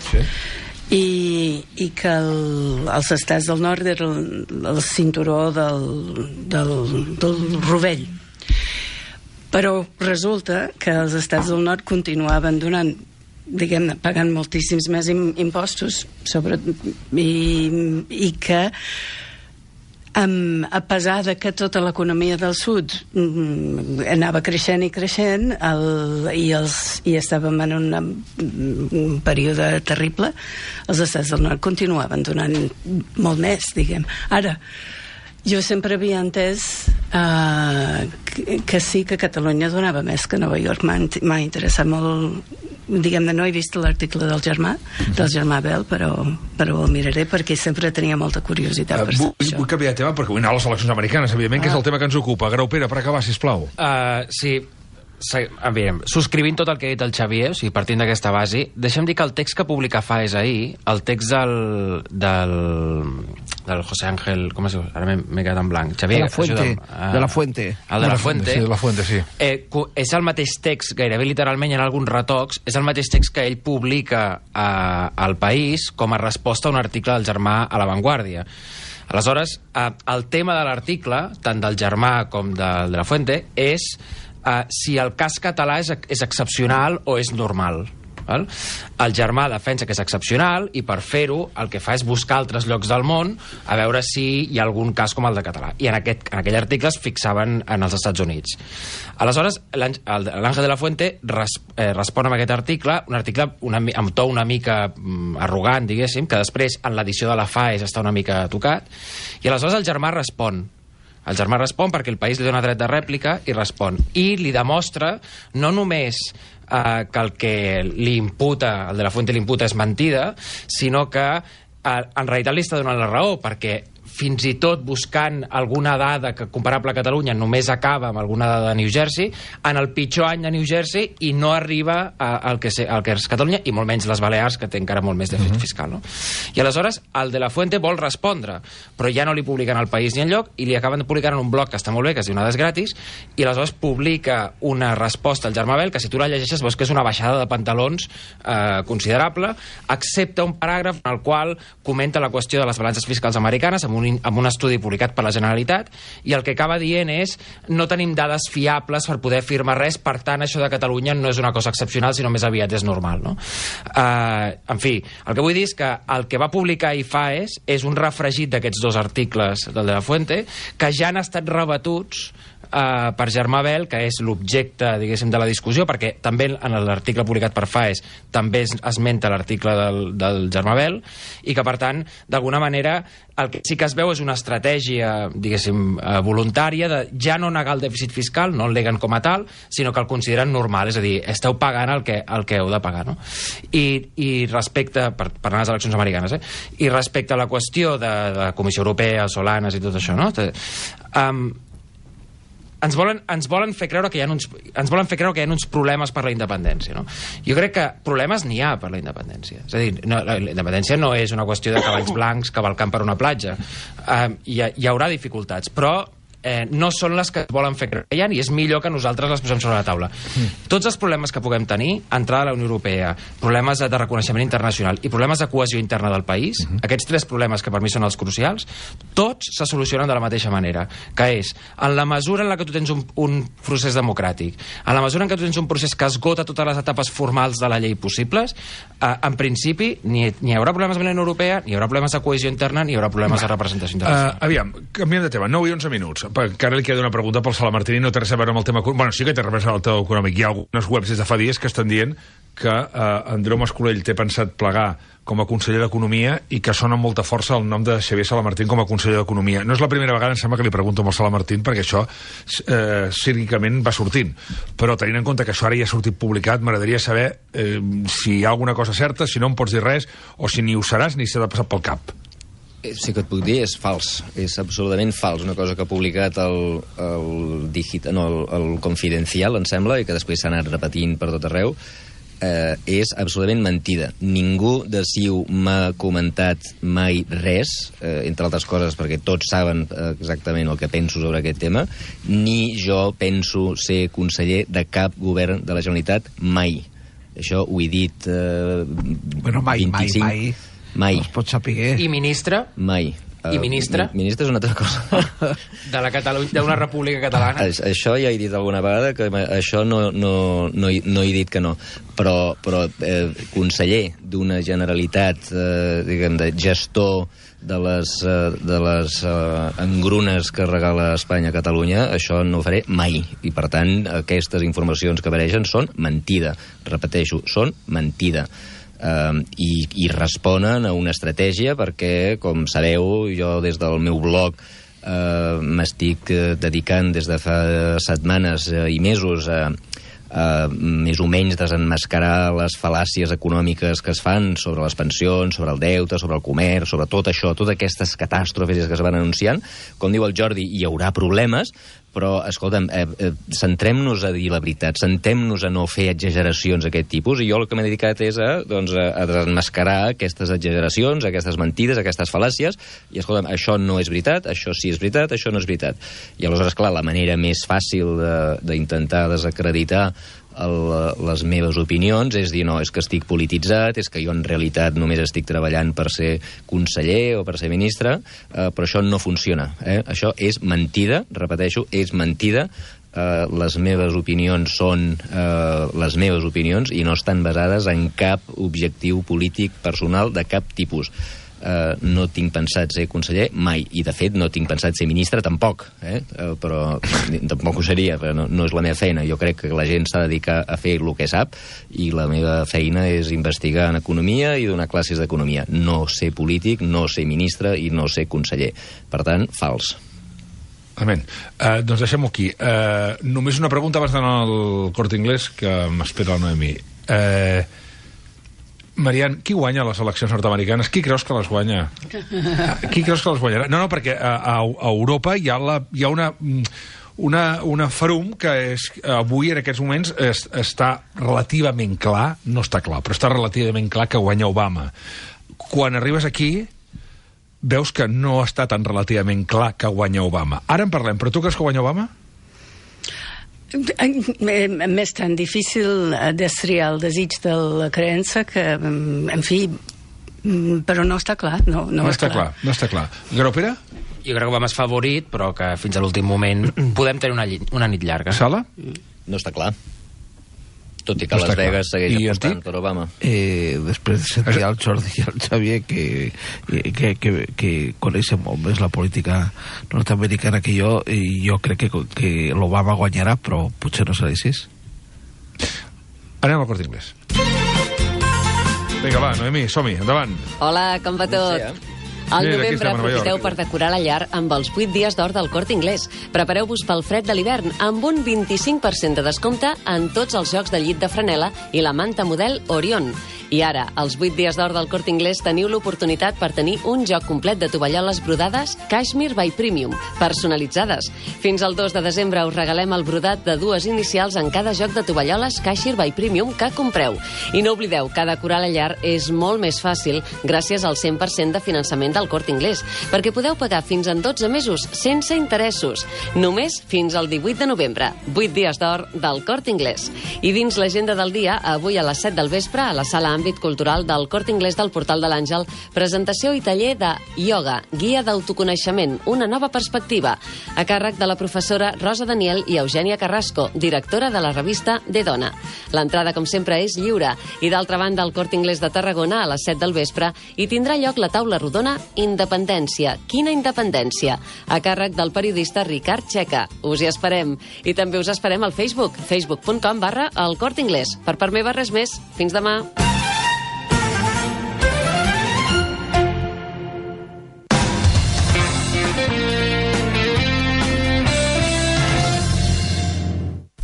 i que els estats del nord eren el cinturó del rovell. Però resulta que els estats del nord continuaven donant, diguem-ne, pagant moltíssims més impostos i que a pesar de que tota l'economia del sud anava creixent i creixent i estàvem en un període terrible, els estats del nord continuaven donant molt més, diguem. Ara, jo sempre havia entès que sí, que Catalunya donava més que Nova York. M'ha interessat molt, diguem-ne, no he vist l'article del germà Bel, però el miraré perquè sempre tenia molta curiositat per això. Vull canviar de tema perquè vull anar a les eleccions americanes, evidentment, que és el tema que ens ocupa. Graupera, per acabar, sisplau. Sí, subscrivint tot el que ha dit el Xavier, o sigui, partint d'aquesta base, deixem dir que el text que publica Faes ahir, el text del José Ángel, com es diu? Ara m'he quedat en blanc. Xavier, de la Fuente. El de la Fuente. Sí, de la Fuente, sí. És el mateix text, gairebé literalment, hi ha alguns retocs, és el mateix text que ell publica al País com a resposta a un article del germà a La Vanguardia. Aleshores, el tema de l'article, tant del germà com de la Fuente, és si el cas català és excepcional o és normal. Val? El germà defensa que és excepcional i per fer-ho el que fa és buscar altres llocs del món a veure si hi ha algun cas com el de català, i en aquell article es fixaven en els Estats Units. Aleshores l'Àngel de la Fuente respon amb aquest article, un article amb to una mica arrogant, diguéssim, que després en l'edició de la Faes està una mica tocat, i aleshores el germà respon perquè el País li dona dret de rèplica i respon, i li demostra no només que el que li imputa, el de la Fuente li imputa, és mentida, sinó que en realitat li està donant la raó, perquè fins i tot buscant alguna dada que comparable a Catalunya només acaba amb alguna dada de New Jersey, en el pitjor any de New Jersey, i no arriba al que és Catalunya, i molt menys les Balears, que té encara molt més dèficit fiscal, no? I aleshores el de la Fuente vol respondre, però ja no li publiquen al País ni enlloc, i li acaben de publicar en un blog que està molt bé, que es diu Nades Gratis, i aleshores publica una resposta al Germà Bel, que si tu la llegeixes veus que és una baixada de pantalons considerable, excepte un paràgraf en el qual comenta la qüestió de les balances fiscals americanes amb un estudi publicat per la Generalitat, i el que acaba dient és no tenim dades fiables per poder afirmar res, per tant això de Catalunya no és una cosa excepcional, sinó més aviat és normal, no? En fi, el que vull dir és que el que va publicar IFAES és un refregit d'aquests dos articles del de la Fuente, que ja han estat rebatuts per Germà Bel, que és l'objecte, diguéssim, de la discussió, perquè també en l'article publicat per FAES també esmenta l'article del Germà Bel, i que, per tant, d'alguna manera, el que sí que es veu és una estratègia, diguéssim, voluntària de ja no negar el dèficit fiscal, no el neguen com a tal, sinó que el consideren normal, és a dir, esteu pagant el que heu de pagar, no? I respecte, per anar a les eleccions americanes, i respecte a la qüestió de la Comissió Europea, Solanas i tot això, no? Ens volen fer creure que hi ha uns problemes per la independència, no? Jo crec que problemes n'hi ha per la independència. És a dir, la independència no és una qüestió de cavalls blancs cavalcant per una platja. Hi haurà dificultats, però no són les que volen fer creure que hi ha, i és millor que nosaltres les posem sobre la taula. Tots els problemes que puguem tenir, entrada a la Unió Europea, problemes de reconeixement internacional i problemes de cohesió interna del país, aquests tres problemes que per mi són els crucials, tots se solucionen de la mateixa manera, que és, en la mesura en la que tu tens un procés democràtic, en la mesura en què tu tens un procés que esgota totes les etapes formals de la llei possibles, en principi ni hi haurà problemes amb la Unió Europea, ni hi haurà problemes de cohesió interna, ni hi haurà problemes de representació internacional. Aviam, canviem de tema, 9 i 11 minuts. Encara li queda una pregunta pel Sala Martín i no té res a veure amb el tema... Bueno, sí que té res a veure amb el tema econòmic. Hi ha algunes webs des de fa dies que estan dient que Andreu Mascolell té pensat plegar com a conseller d'Economia i que sona amb molta força el nom de Xavier Salamartín com a conseller d'Economia. No és la primera vegada, em sembla, que li pregunto amb el Salamartín, perquè això cínicament va sortint. Però tenint en compte que això ara ja ha sortit publicat, m'agradaria saber si hi ha alguna cosa certa, si no em pots dir res, o si ni ho seràs ni s'ha de passar pel cap. Sí que et puc dir, és fals, és absolutament fals. Una cosa que ha publicat el Confidencial, em sembla, i que després s'ha anat repetint per tot arreu, és absolutament mentida. Ningú de CiU m'ha comentat mai res, entre altres coses perquè tots saben exactament el que penso sobre aquest tema, ni jo penso ser conseller de cap govern de la Generalitat mai. Això ho he dit 25... Mai. No es pot saber. I ministre? Mai. I ministre? Ministre és una altra cosa. D'una república catalana? Això ja he dit alguna vegada, que això no he dit que no. Però conseller d'una Generalitat, diguem, de gestor de les engrunes que regala Espanya a Catalunya, això no ho faré mai. I, per tant, aquestes informacions que apareixen són mentida. Repeteixo, són mentida. I responen a una estratègia perquè, com sabeu, jo des del meu blog m'estic dedicant des de fa setmanes i mesos a més o menys desenmascarar les fal·làcies econòmiques que es fan sobre les pensions, sobre el deute, sobre el comerç, sobre tot això, totes aquestes catàstrofes que es van anunciant. Com diu el Jordi, hi haurà problemes, però, escolta'm, centrem-nos a dir la veritat, centrem-nos a no fer exageracions d'aquest tipus, i jo el que m'he dedicat és a desenmascarar aquestes exageracions, aquestes mentides, aquestes fal·làcies, i, escolta'm, això no és veritat, això sí és veritat, això no és veritat. I aleshores, clar, la manera més fàcil d'intentar desacreditar les meves opinions és dir, no, és que estic polititzat, és que jo en realitat només estic treballant per ser conseller o per ser ministre, però això no funciona. Això és mentida, repeteixo, és mentida. Les meves opinions són les meves opinions i no estan basades en cap objectiu polític personal de cap tipus. No tinc pensat ser conseller mai, i de fet no tinc pensat ser ministre tampoc, però tampoc ho seria, però no és la meva feina. Jo crec que la gent s'ha de dedicar a fer el que sap, i la meva feina és investigar en economia i donar classes d'economia, no ser polític, no ser ministre i no ser conseller. Per tant, fals. Amén. Doncs deixem-ho aquí. Només una pregunta abans d'anar al Corte Inglés, que m'espera la Noemi. Marian, qui guanya les eleccions nord-americanes? Qui creus que les guanya? Qui creus que les guanyarà? No, perquè a Europa hi ha una ferum que avui, en aquests moments, està relativament clar, no està clar, però està relativament clar que guanya Obama. Quan arribes aquí, veus que no està tan relativament clar que guanya Obama. Ara en parlem, però tu creus que guanya Obama? M'és tan difícil destriar el desig de la creença que, en fi, però no està clar. No està clar. Graupera? Jo crec que Obama és favorit, però que fins a l'últim moment podem tenir una nit llarga. Sala? No està clar. Tot i que Las Vegas segueix apostant per Obama. Després de sentir el Jordi i el Xavier que coneixen molt més la política nord-americana que jo, i jo crec que l'Obama guanyarà, però potser no serà així. Anem al Corte Inglés. Vinga, va, Noemí, som-hi, endavant. Hola, com va tot? Al novembre aprofiteu per decorar la llar amb els 8 dies d'or del Corte Inglés. Prepareu-vos pel fred de l'hivern amb un 25% de descompte en tots els jocs de llit de franel·la i la manta model Orion. I ara, als 8 dies d'or del Corte Inglés, teniu l'oportunitat per tenir un joc complet de tovalloles brodades Cashmere by Premium, personalitzades. Fins al 2 de desembre us regalem el brodat de 2 inicials en cada joc de tovalloles Cashmere by Premium que compreu. I no oblideu que decorar la llar és molt més fàcil gràcies al 100% de finançament del Corte Inglés, perquè podeu pagar fins en 12 mesos sense interessos, només fins al 18 de novembre. 8 dies d'or del Corte Inglés. I dins l'agenda del dia, avui a les 7 del vespre, a la sala Àmbit Cultural del Corte Inglés del Portal de l'Àngel, presentació i taller de ioga, guia d'autoconeixement, una nova perspectiva, a càrrec de la professora Rosa Daniel i Eugènia Carrasco, directora de la revista De Dona. L'entrada, com sempre, és lliure. I d'altra banda, al Corte Inglés de Tarragona, a les 7 del vespre, hi tindrà lloc la taula rodona Independència. Quina independència? A càrrec del periodista Ricard Checa. Us hi esperem. I també us esperem al Facebook, facebook.com/El Corte Inglés. Per part meva, res més. Fins demà.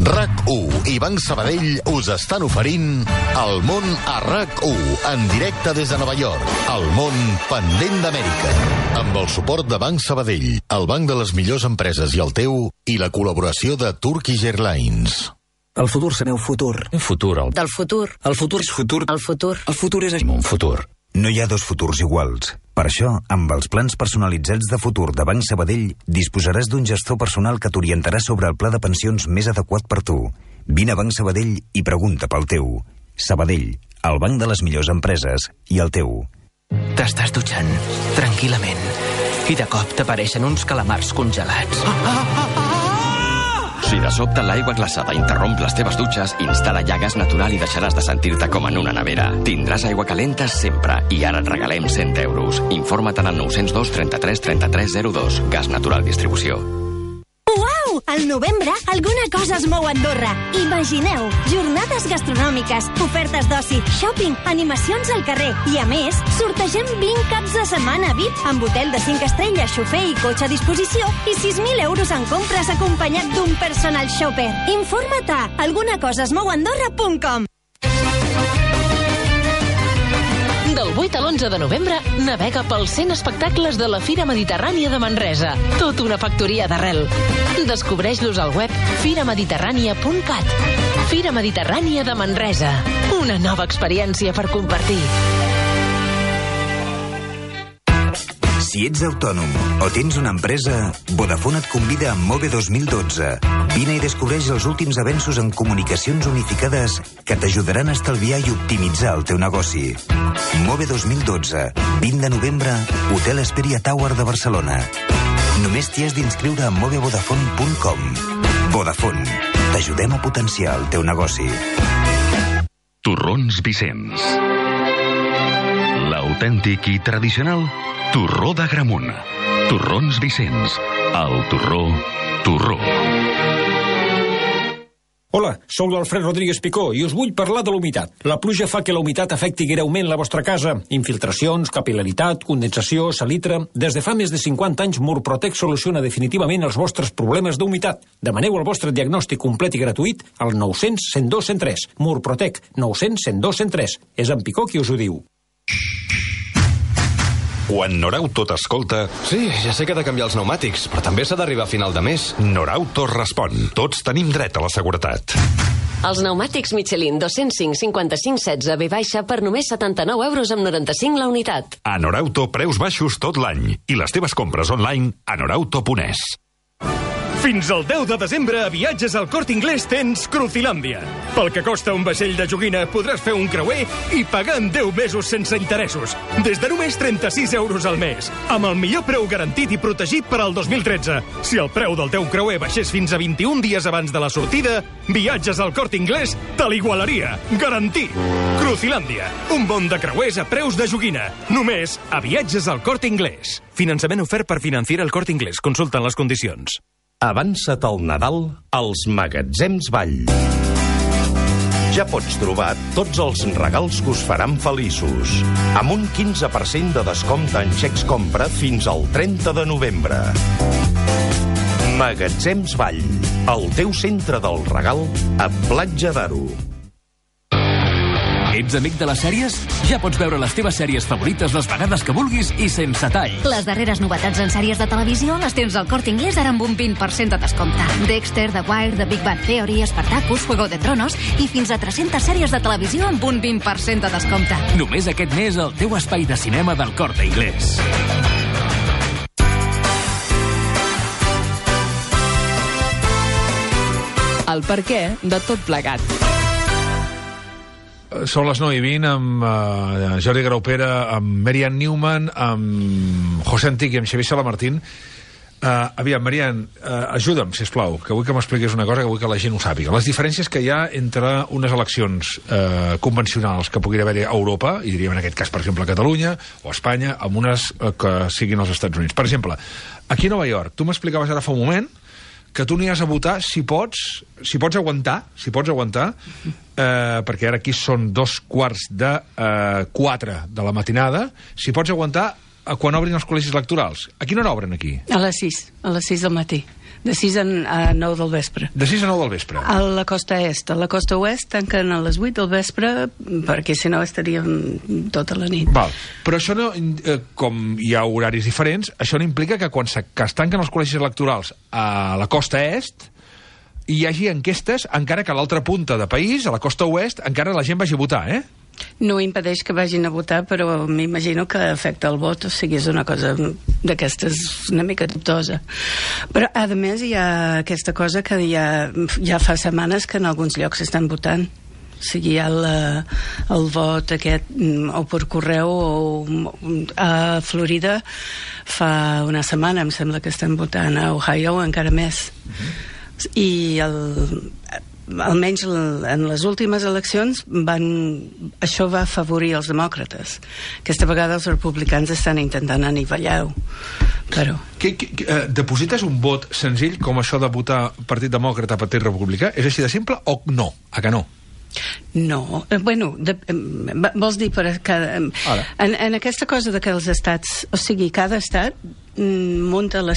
RAC1 i Banc Sabadell us estan oferint El món a RAC1, en directe des de Nova York. El món pendent d'Amèrica. Amb el suport de Banc Sabadell, el banc de les millors empreses i el teu, i la col·laboració de Turkish Airlines. El futur serà un futur. Un futur. Del futur. El futur és futur. El futur. El futur és un futur. No hi ha dos futurs iguals. Per això, amb els plans personalitzats de futur de Banc Sabadell, disposaràs d'un gestor personal que t'orientarà sobre el pla de pensions més adequat per tu. Vine a Banc Sabadell i pregunta pel teu. Sabadell, el banc de les millors empreses i el teu. T'estàs dutxant, tranquil·lament, i de cop t'apareixen uns calamars congelats. Si de sobte l'aigua glaçada interromp les teves dutxes, instal·la llagues natural i deixaràs de sentir-te com en una nevera. Tindràs aigua calenta sempre i ara et regalem 100 euros. Informa't al 902 33 33 02. Gas Natural Distribució. Uau! Al novembre, alguna cosa es mou a Andorra. Imagineu, jornades gastronòmiques, ofertes d'oci, shopping, animacions al carrer. I a més, sortegem 20 caps de setmana VIP amb hotel de 5 estrelles, xofer i cotxe a disposició i 6.000 euros en compres acompanyat d'un personal shopper. Informa't a algunacosaesmouandorra.com. Del 8 a l'11 de novembre, navega pels 100 espectacles de la Fira Mediterrània de Manresa. Tot una factoria d'arrel. Descobreix-los al web firamediterrània.cat. Fira Mediterrània de Manresa. Una nova experiència per compartir. Si ets autònom o tens una empresa, Vodafone et convida a Move 2012. Vine i descobreix els últims avenços en comunicacions unificades que t'ajudaran a estalviar i optimitzar el teu negoci. Move 2012, 20 de novembre, Hotel Esperia Tower de Barcelona. Només t'hi has d'inscriure a movevodafone.com. Vodafone, t'ajudem a potenciar el teu negoci. Torrons Vicenç. L'autèntic i tradicional torró d'Agramunt. Torrons Vicenç. El torró, torró. Hola, Soc l'Alfred Rodríguez Picó i us vull parlar de l'humitat. La pluja fa que la humitat afecti greument la vostra casa. Infiltracions, capil·laritat, condensació, salitre... Des de fa més de 50 anys, Murprotec soluciona definitivament els vostres problemes d'humitat. Demaneu el vostre diagnòstic complet i gratuït al 900 102 103. Murprotec, 900 102 103. És en Picó qui us ho diu. Quan Norauto t'escolta... Sí, ja sé que he de canviar els pneumàtics, però també s'ha d'arribar a final de mes. Norauto respon. Tots tenim dret a la seguretat. Els pneumàtics Michelin 205 55 16 V- per només 79,95 la unitat. A Norauto, preus baixos tot l'any. I les teves compres online a norauto.es. Fins al 10 de desembre a Viatges al Corte Inglés tens Crucilàndia. Pel que costa un vaixell de joguina podràs fer un creuer i pagar en 10 mesos sense interessos. Des de només 36 euros al mes. Amb el millor preu garantit i protegit per al 2013. Si el preu del teu creuer baixés fins a 21 dies abans de la sortida, Viatges al Corte Inglés te l'igualaria. Garantit. Crucilàndia. Un món de creuers a preus de joguina. Només a Viatges al Corte Inglés. Finançament ofert per Financiera el Corte Inglés. Consulten les condicions. Avança't al Nadal als Magatzems Vall. Ja pots trobar tots els regals que us faran feliços, amb un 15% de descompte en xecs compra fins al 30 de novembre. Magatzems Vall, el teu centre del regal a Platja d'Aro. Ets amic de les sèries? Ja pots veure les teves sèries favorites les vegades que vulguis i sense tall. Les darreres novetats en sèries de televisió les tens al Corte Inglés ara amb un 20% de descompte. Dexter, The Wire, The Big Bang Theory, Spartacus, Juego de Tronos i fins a 300 sèries de televisió amb un 20% de descompte. Només aquest mes al teu espai de cinema del Corte Inglés. El perquè de tot plegat. Són les 9:20 amb Jordi Graupera, amb Marian Newman, amb José Antic i amb Xavier Salamartín. Aviam, Marian, ajuda'm, sisplau, que vull que m'expliquis una cosa que vull que la gent ho sàpiga. Les diferències que hi ha entre unes eleccions convencionals que pugui haver a Europa, i diríem en aquest cas, per exemple, a Catalunya o a Espanya, amb unes que siguin als Estats Units. Per exemple, aquí a Nova York, tu m'explicaves ara fa un moment que tu aniràs a votar si pots aguantar, perquè ara aquí són 3:45 de la matinada, si pots aguantar quan obrin els col·legis electorals. A quina hora obren aquí? A les 6 del matí. De 6 a 9 del vespre. De 6 a 9 del vespre. A la costa est. A la costa oest tanquen a les 8 del vespre, perquè si no estaríem tota la nit. Val. Però això no, com hi ha horaris diferents, això no implica que quan es tanquen els col·legis electorals a la costa est hi hagi enquestes, encara que a l'altra punta de país, a la costa oest, encara la gent vagi a votar, eh? No impedeix que vagin a votar, però m'imagino que afecta el vot, o sigui, és una cosa d'aquestes una mica dubtosa. Però, a més, hi ha aquesta cosa que ja fa setmanes que en alguns llocs estan votant. O sigui, hi ha el vot aquest, o per correu, o a Florida fa una setmana, em sembla que estan votant, a Ohio encara més. I almenys en les últimes eleccions això va afavorir els demòcrates. Aquesta vegada els republicans estan intentant anivellar-ho, però... Deposites un vot senzill com això de votar Partit Demòcrata, Partit Republicà? És així de simple o no? A que no? No, bueno, vols dir en aquesta cosa de que els estats, o sigui, cada estat munta el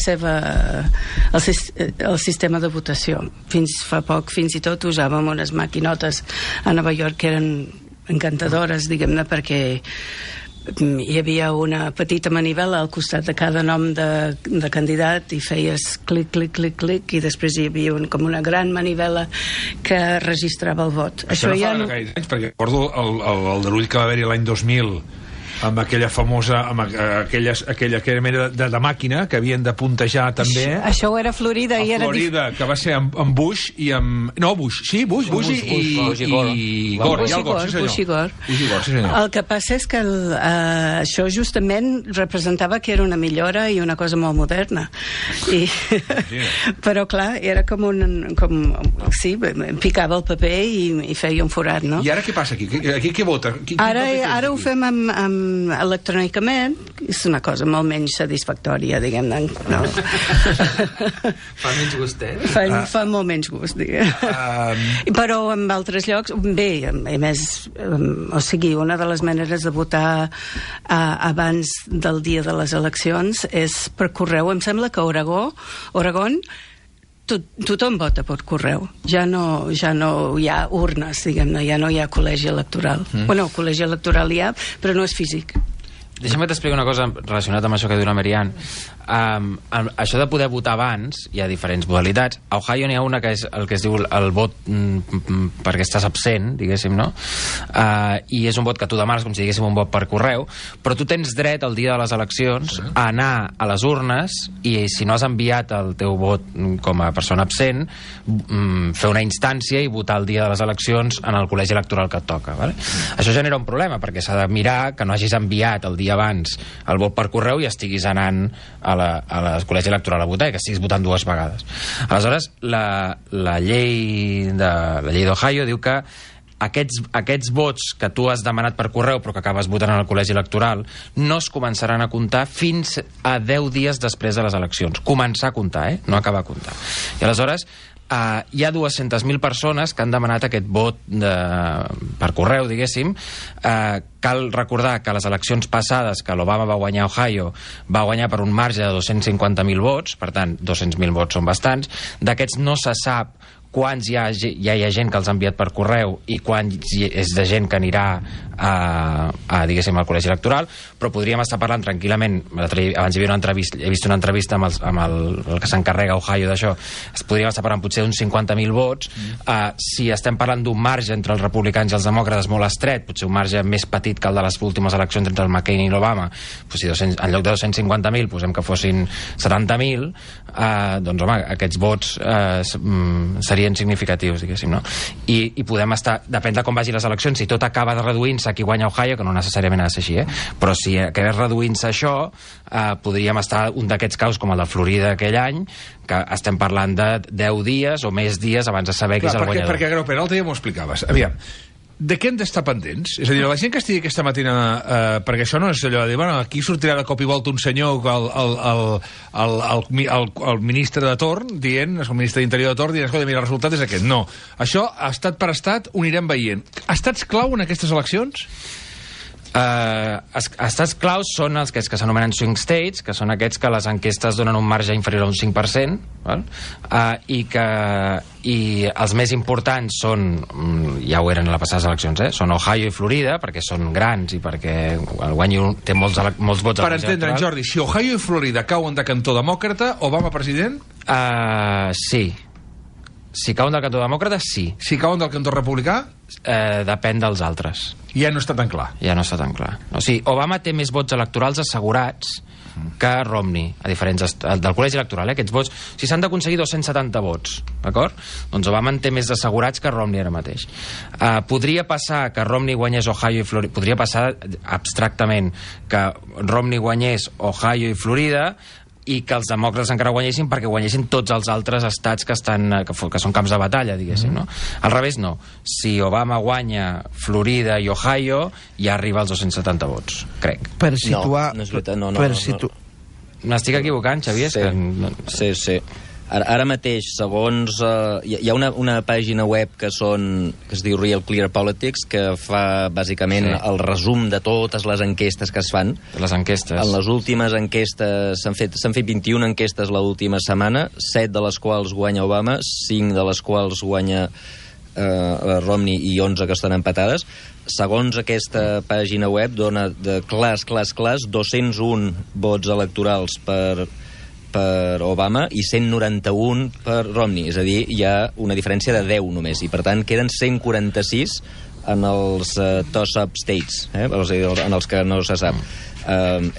sistema de votació. Fins fa poc, fins i tot usàvem unes maquinotes a Nova York que eren encantadores, diguem-ne, perquè hi havia una petita manivela al costat de cada nom de candidat i feies clic, clic, clic, clic, i després hi havia com una gran manivela que registrava el vot. Això no fa gaire anys, perquè recordo el derull que va haver-hi l'any 2000 amb aquella famosa, amb aquella mena de màquina que havien de puntejar també. Això era a Florida. A Florida, que va ser amb Bush i amb... No, Bush, sí, Bush i Gore. Bush i Gore. El que passa és que això justament representava que era una millora i una cosa molt moderna. Però, clar, era com sí, picava el paper i feia un forat, no? I ara què passa aquí? Aquí què vota? Ara ho fem amb electrònicament és una cosa molt menys satisfactòria, diguem-ne. No. Fa menys gustet? Fa molt menys gust, diguem. Però en altres llocs, bé, a més, o sigui, una de les maneres de votar abans del dia de les eleccions és per correu. Em sembla que a Oregon tothom vota per correu. Ja no hi ha urnes, diguem-ne, ja no hi ha col·legi electoral. Bueno, col·legi electoral hi ha, però no és físic. Deixa'm que t'expliqui una cosa relacionada amb això que diu la Marianne. Això de poder votar abans, hi ha diferents modalitats. A Ohio n'hi ha una que és el que es diu el vot perquè estàs absent, diguéssim, no? I és un vot que tu demanes com si diguéssim un vot per correu, però tu tens dret el dia de les eleccions a anar a les urnes i si no has enviat el teu vot com a persona absent, fer una instància i votar el dia de les eleccions en el col·legi electoral que et toca, vale? Això genera un problema perquè s'ha de mirar que no hagis enviat el dia abans el vot per correu i estiguis anant a la col·legi electoral a votar i que estiguis votant dues vegades. Aleshores, la llei d'Ohio diu que aquests vots que tu has demanat per correu però que acabes votant en el col·legi electoral no es començaran a comptar fins a 10 dies després de les eleccions. Començar a comptar, no acabar a comptar. I aleshores hi ha 200.000 persones que han demanat aquest vot per correu, diguéssim. Cal recordar que a les eleccions passades que l'Obama va guanyar a Ohio va guanyar per un marge de 250.000 vots, per tant 200.000 vots són bastants. D'aquests no se sap quants ja hi ha gent que els ha enviat per correu i quants és de gent que anirà diguéssim, al col·legi electoral, però podríem estar parlant tranquil·lament. Abans hi havia una entrevista, he vist una entrevista amb el que s'encarrega a Ohio d'això, podríem estar parlant potser d'uns 50.000 vots. Si estem parlant d'un marge entre els republicans i els demòcrates molt estret, potser un marge més petit que el de les últimes eleccions entre el McCain i l'Obama, si en lloc de 250.000 posem que fossin 70.000, doncs home, aquests vots serien significatius, diguéssim, no? I podem estar, depèn de com vagi les eleccions, si tot acaba reduint-se qui guanya Ohio, que no necessàriament ha de ser així, però si acabés reduint-se això, podríem estar un d'aquests casos com el de Florida aquell any, que estem parlant de 10 dies o més dies abans de saber qui és el guanyador. Perquè Graupera, l'altre dia m'ho explicaves. Aviam, de què hem d'estar pendents? És a dir, la gent que estigui aquesta matina, perquè això no és allò de dir, bueno, aquí sortirà de cop i volta un senyor, el ministre de torn, dient, el ministre d'Interior de torn, dient, escolta, mira, el resultat és aquest. No. Això, estat per estat, ho anirem veient. Estats clau en aquestes eleccions? Estats claus són els que s'anomenen swing states, que són aquests que les enquestes donen un marge inferior a un 5%, val? I els més importants són, ja ho eren a les passades eleccions, són Ohio i Florida, perquè són grans i perquè el guany té molts vots. Per entendre, Jordi, si Ohio i Florida cauen de cantó demòcrata, Obama president? Sí. Si cauen del cantó demòcrata, sí. Si cauen del cantó republicà? Depèn dels altres. Ja no està tan clar. Ja no està tan clar. O sigui, Obama té més vots electorals assegurats que Romney, a diferents del col·legi electoral, aquests vots, si s'han d'aconseguir 270 vots, d'acord? Doncs Obama en té més assegurats que Romney ara mateix. Podria passar que Romney guanyés Ohio i Florida, podria passar abstractament que Romney guanyés Ohio i Florida i que els demòcrates encara guanyessin perquè guanyessin tots els altres estats que són camps de batalla, diguéssim, no? Al revés, no. Si Obama guanya Florida i Ohio, ja arriba als 270 vots, crec. Per situar... No és veritat, no. M'estic equivocant, Xavier? Sí. Ara mateix, segons... hi ha una pàgina web que es diu Real Clear Politics, que fa bàsicament el resum de totes les enquestes que es fan. Les enquestes. En les últimes enquestes s'han fet 21 enquestes l'última setmana, 7 de les quals guanya Obama, 5 de les quals guanya Romney i 11 que estan empatades. Segons aquesta pàgina web, dona de clars 201 vots electorals per Obama i 191 per Romney, és a dir, hi ha una diferència de 10 només, i per tant queden 146 en els toss-up states, en els que no se sap.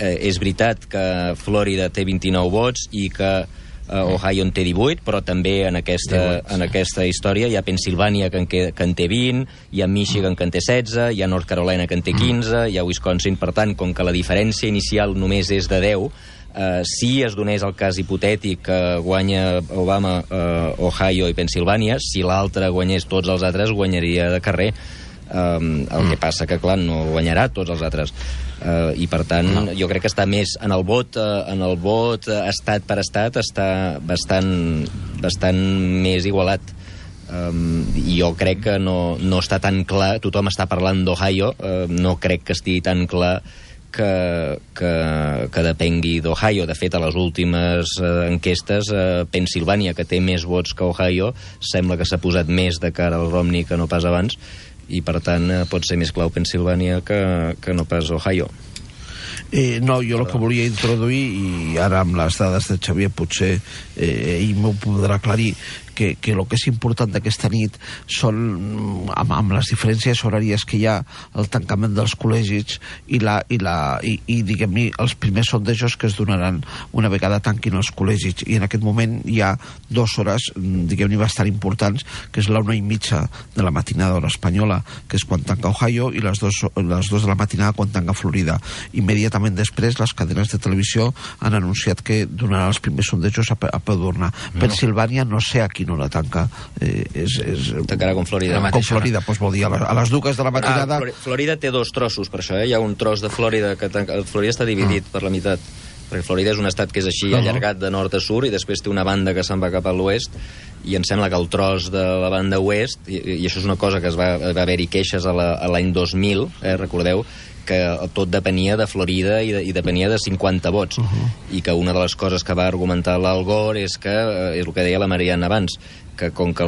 És veritat que Florida té 29 vots i que Ohio en té 18, però també en aquesta història hi ha Pennsylvania que en té 20, hi ha Michigan que en té 16, hi ha North Carolina que en té 15, hi ha Wisconsin. Per tant, com que la diferència inicial només és de 10, si es donés el cas hipotètic que guanya Obama Ohio i Pennsylvania, si l'altre guanyés tots els altres, guanyaria de carrer. El que passa que, clar, no guanyarà tots els altres. I per tant jo crec que està més en el vot estat per estat, està bastant més igualat. I jo crec que no està tan clar, tothom està parlant d'Ohio, no crec que estigui tan clar que depengui d'Ohio. De fet, a les últimes enquestes, Pennsilvània, que té més vots que Ohio, sembla que s'ha posat més de cara al Romney que no pas abans, i per tant pot ser més clau Pennsilvània que no pas Ohio. No, jo el que volia introduir, i ara amb les dades de Xavier potser ell m'ho podrà aclarir, que el que és important d'aquesta nit són, amb les diferències horàries que hi ha, el tancament dels col·legis i diguem-ne, els primers sondejos que es donaran una vegada tanquin els col·legis. I en aquest moment hi ha 2 hores, diguem-ne, bastant importants, que és la 1:30 de la matinada hora espanyola, que és quan tanca Ohio, i les 2 de la matinada quan tanca Florida. Immediatament després, les cadenes de televisió han anunciat que donaran els primers sondejos a peu d'urna. Pennsilvània, no sé a quina hora tanca. Tancarà com Florida. Com Florida, doncs vol dir a les 2 de la matinada. Florida té 2 trossos, per això, Hi ha un tros de Florida que tanca. Florida està dividit per la meitat, perquè Florida és un estat que és així allargat de nord a sud, i després té una banda que se'n va cap a l'oest, i em sembla que el tros de la banda oest, i això és una cosa que va haver-hi queixes a l'any 2000, recordeu, que tot depenia de Florida i depenia de 50 vots, i que una de les coses que va argumentar l'Al Gore és el que deia la Marianne abans, que com que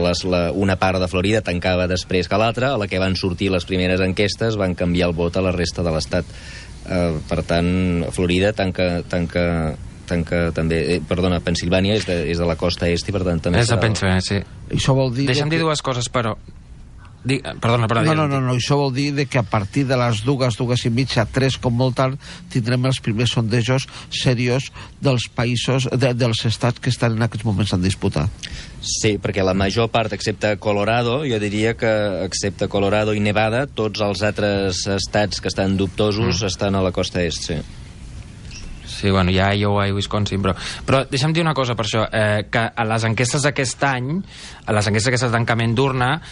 una part de Florida tancava després que l'altra, a la que van sortir les primeres enquestes van canviar el vot a la resta de l'estat. Per tant, Florida tanca també... Perdona, Pennsilvània és de la costa est, i per tant també... És de Pennsilvània, sí. Això vol dir... Deixa'm dir 2 coses, però... Perdona. No, això vol dir que a partir de les 2:30, 3 com molt tard, tindrem els primers sondejos serios dels països, dels estats que estan en aquests moments en disputa. Sí, perquè la major part, excepte Colorado, jo diria que excepte Colorado i Nevada, tots els altres estats que estan dubtosos estan a la costa est, sí. Sí, bueno, hi ha Iowa i Wisconsin, però deixa'm dir una cosa per això, que a les enquestes d'aquest any, a les enquestes d'aquest tancament d'urna,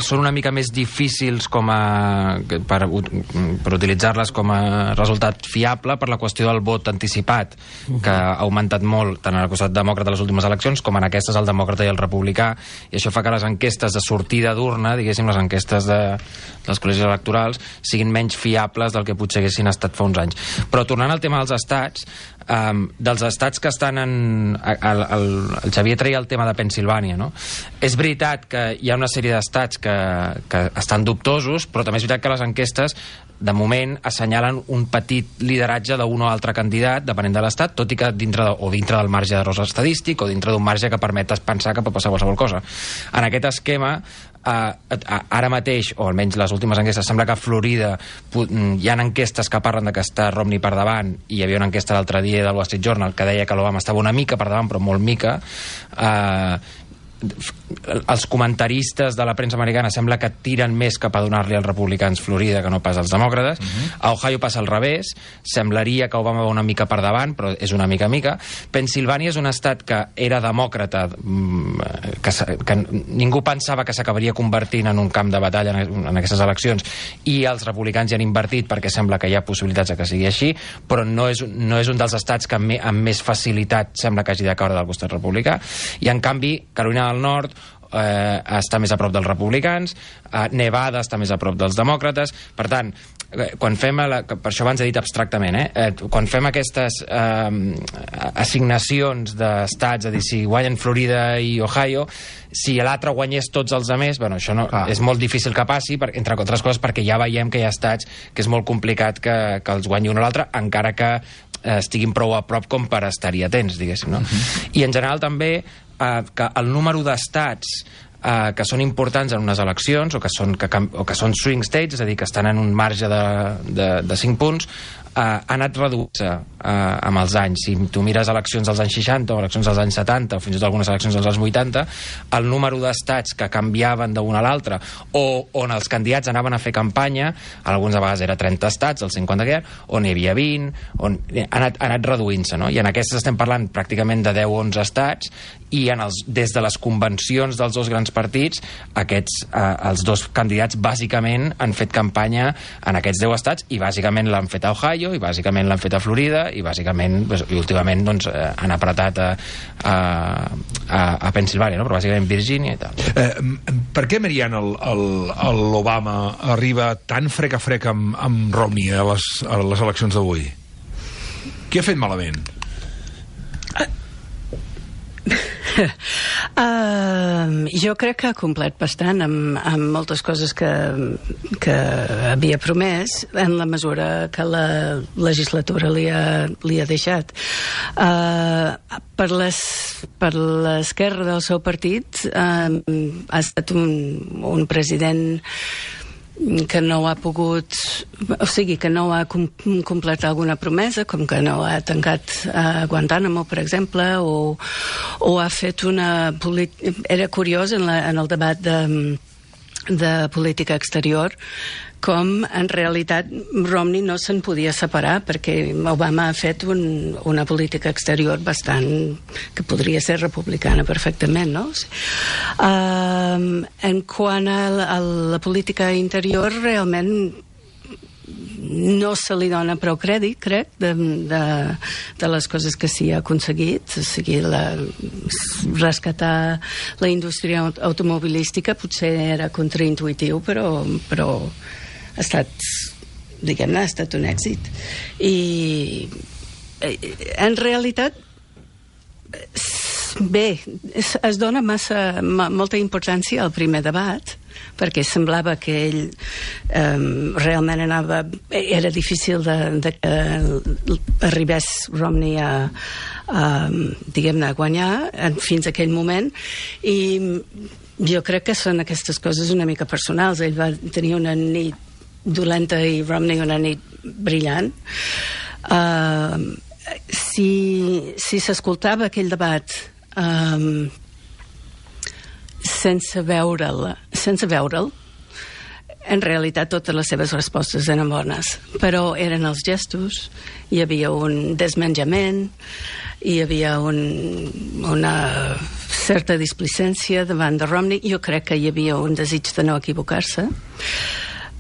són una mica més difícils per utilitzar-les com a resultat fiable per la qüestió del vot anticipat, que ha augmentat molt tant en el costat demòcrata a les últimes eleccions com en aquestes el demòcrata i el republicà, i això fa que les enquestes de sortida d'urna, diguéssim, les enquestes dels col·legis electorals, siguin menys fiables del que potser haguessin estat fa uns anys. Però tornant al tema dels estats, dels estats que estan el Xavier treia el tema de Pennsilvània, no? És veritat que hi ha una sèrie d'estats que estan dubtosos, però també és veritat que les enquestes de moment assenyalen un petit lideratge d'un o altre candidat, depenent de l'estat, tot i que dintre del marge d'error estadístic o dintre d'un marge que permet pensar que pot passar qualsevol cosa. En aquest esquema, ara mateix, o almenys les últimes enquestes, sembla que a Florida hi ha enquestes que parlen de que està Romney per davant, i hi havia una enquesta l'altre dia del Wall Street Journal que deia que l'Obama estava una mica per davant, però molt mica. Els comentaristes de la premsa americana sembla que tiren més cap a donar-li als republicans Florida que no pas als demòcrates. A Ohio passa al revés, semblaria que Obama va una mica per davant, però és una mica. Pennsilvània és un estat que era demòcrata, que ningú pensava que s'acabaria convertint en un camp de batalla en aquestes eleccions, i els republicans hi han invertit perquè sembla que hi ha possibilitats de que sigui així, però no és un dels estats que amb més facilitat sembla que hagi de caure del costat republicà. I en canvi Carolina del Nord està més a prop dels republicans, Nevada està més a prop dels demòcrates. Per tant, quan fem per això abans he dit abstractament, quan fem aquestes assignacions d'estats, a dir, si guanyen Florida i Ohio, si l'altre guanyés tots els altres, bueno, això no, és molt difícil que passi, entre altres coses perquè ja veiem que hi ha estats que és molt complicat que els guanyi un o l'altre, encara que estiguin prou a prop com per estar-hi atents, diguéssim, no? I en general també que el número d'estats que són importants en unes eleccions o que són swing states, és a dir, que estan en un marge de 5 punts, ha anat reduint-se amb els anys. Si tu mires eleccions dels anys 60 o eleccions dels anys 70 o fins i tot algunes eleccions dels anys 80, el número d'estats que canviaven d'un a l'altre o on els candidats anaven a fer campanya, alguns a vegades era 30 estats, els 50 que hi ha, on hi havia 20, on ha anat reduint-se, no? I en aquestes estem parlant pràcticament de 10 o 11 estats, i des de les convencions dels dos grans partits, els dos candidats bàsicament han fet campanya en aquests 10 estats, i bàsicament l'han fet a Ohio, i bàsicament l'han fet a Florida, i bàsicament, i últimament han apretat a Pensilvània, no? Però bàsicament Virgínia i tal. Per què, Marian, l'Obama arriba tan frec a frec amb Romney a les eleccions d'avui? Què ha fet malament? Jo crec que ha complert bastant amb moltes coses que havia promès, en la mesura que la legislatura li ha deixat. Per l'esquerra del seu partit ha estat un president que no ha pogut, o sigui, que no ha completat alguna promesa, com que no ha tancat Guantánamo, per exemple, o ha fet una política... Era curiós en el debat de política exterior com en realitat Romney no se'n podia separar, perquè Obama ha fet una política exterior bastant que podria ser republicana perfectament, no? En quant a la política interior, realment no se li dona prou crèdit, crec, de les coses que s'hi ha aconseguit, o sigui, rescatar la indústria automobilística potser era contraintuitiu, però ha estat, diguem-ne, ha estat un èxit. I en realitat bé, es dona molta importància al primer debat, perquè semblava que ell realment era difícil que arribés Romney diguem-ne, a guanyar fins a aquell moment, i jo crec que són aquestes coses una mica personals. Ell va tenir una nit dolenta i Romney una nit brillant. Si s'escoltava aquell debat sense veure'l, en realitat totes les seves respostes eren bones, però eren els gestos, hi havia un desmenjament, hi havia una certa displicència davant de Romney. Jo crec que hi havia un desig de no equivocar-se,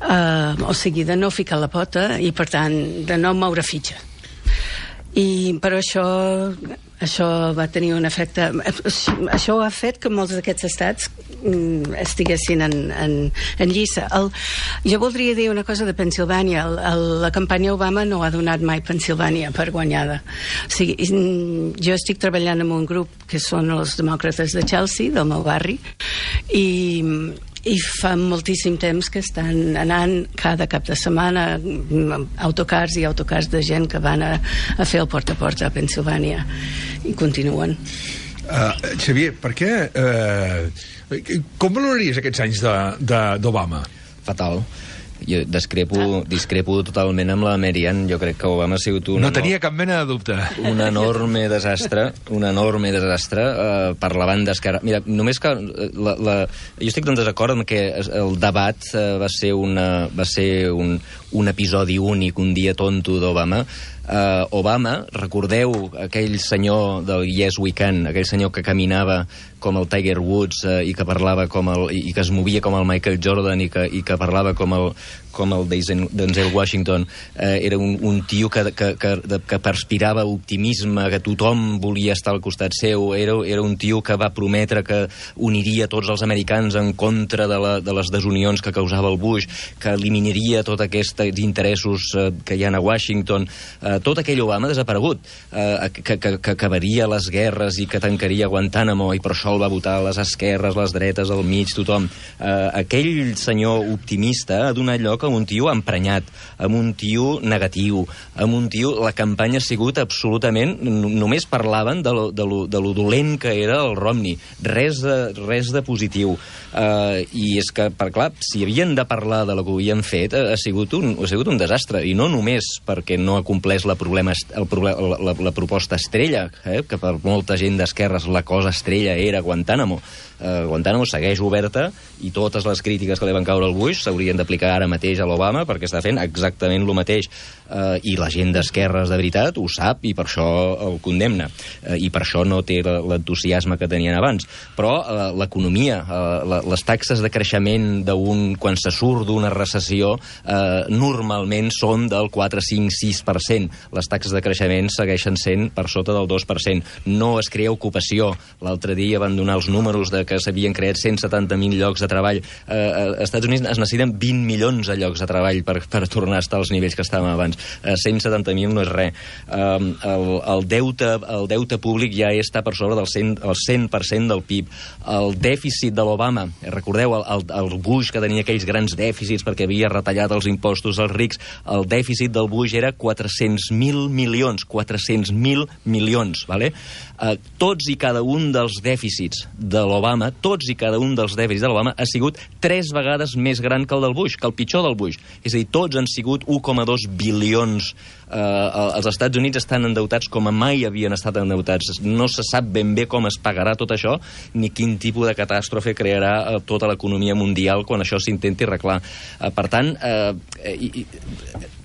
o sigui, de no ficar la pota i, per tant, de no moure fitxa. Però això va tenir un efecte... Això ha fet que molts d'aquests estats estiguessin en lliça. Jo voldria dir una cosa de Pensilvània. La campanya Obama no ha donat mai Pensilvània per guanyada. O sigui, jo estic treballant en un grup que són els demòcrates de Chelsea, del meu barri, i fa moltíssim temps que estan anant cada cap de setmana autocars i autocars de gent que van a fer el porta a porta a Pensilvània, i continuen. Xavier, per què... com valoraries aquests anys d'Obama? Fatal. Jo discrepo totalment amb la Marian. Jo crec que Obama ha sigut no tenia cap mena de dubte. Un enorme desastre per la banda esquerra. Mira, només que jo estic en desacord amb que el debat va ser un episodi únic, un dia tonto d'Obama. Obama, recordeu aquell senyor del Yes We Can, aquell senyor que caminava com el Tiger Woods i que parlava i que es movia com el Michael Jordan i que parlava com el Denzel Washington. Era un tio que perspirava optimisme, que tothom volia estar al costat seu. Era un tio que va prometre que uniria tots els americans en contra de les desunions que causava el Bush, que eliminaria tots aquests interessos que hi ha a Washington. Tot aquell Obama ha desaparegut, que acabaria les guerres i que tancaria Guantánamo, i per això el va votar les esquerres, les dretes, al mig, tothom. Aquell senyor optimista ha donat lloc lloc amb un tio emprenyat, amb un tio negatiu, amb un tio... La campanya ha sigut absolutament... Només parlaven de lo dolent que era el Romney. Res de positiu. I és que, clar, si havien de parlar de lo que havien fet, ha sigut un desastre. I no només perquè no ha complès la proposta estrella, que per molta gent d'esquerres la cosa estrella era Guantánamo. Guantánamo segueix oberta i totes les crítiques que li van caure al Bush s'haurien d'aplicar ara mateix a l'Obama perquè està fent exactament el mateix. I la gent d'esquerres de veritat ho sap i per això el condemna. I per això no té l'entusiasme que tenien abans. Però l'economia, les taxes de creixement quan se surt d'una recessió normalment són del 4, 5, 6%. Les taxes de creixement segueixen sent per sota del 2%. No es crea ocupació. L'altre dia van donar els números de que s'havien creat 170.000 llocs de treball. Als Estats Units es necessiten 20 milions de llocs de treball per tornar a estar als nivells que estàvem abans. 170.000 no és res. El deute públic ja està per sobre del 100% del PIB. El dèficit de l'Obama, recordeu el Bush que tenia aquells grans dèficits perquè havia retallat els impostos als rics, el dèficit del Bush era 400.000 milions. 400.000 milions, vale? Tots i cada un dels dèficits de l'Obama, ha sigut 3 vegades més gran que el del Bush, que el pitjor del Bush. És a dir, tots han sigut 1,2 bilions. Els Estats Units estan endeutats com a mai havien estat endeutats. No se sap ben bé com es pagarà tot això, ni quin tipus de catàstrofe crearà tota l'economia mundial quan això s'intenti arreglar. Per tant,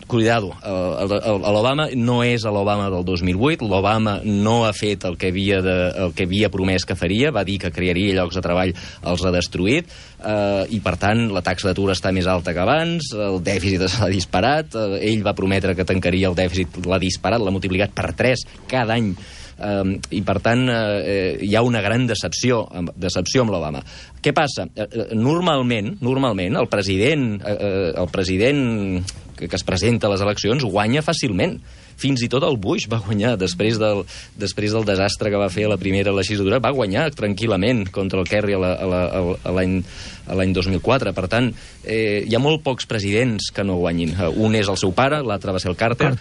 cuidado, l'Obama no és l'Obama del 2008, l'Obama no ha fet el que havia promès que faria, va dir que crearia llocs de treball, els ha destruït, i per tant la taxa d'atur està més alta que abans, el dèficit s'ha disparat, ell va prometre que tancaria el dèficit, l'ha disparat, l'ha multiplicat per 3 cada any, i per tant hi ha una gran decepció amb l'Obama. Què passa? Normalment el president que es presenta a les eleccions guanya fàcilment. Fins i tot el Bush va guanyar després del desastre que va fer a la primera legislatura, va guanyar tranquil·lament contra el Kerry l'any 2004. Per tant, hi ha molt pocs presidents que no guanyin. Un és el seu pare, l'altre va ser el Carter.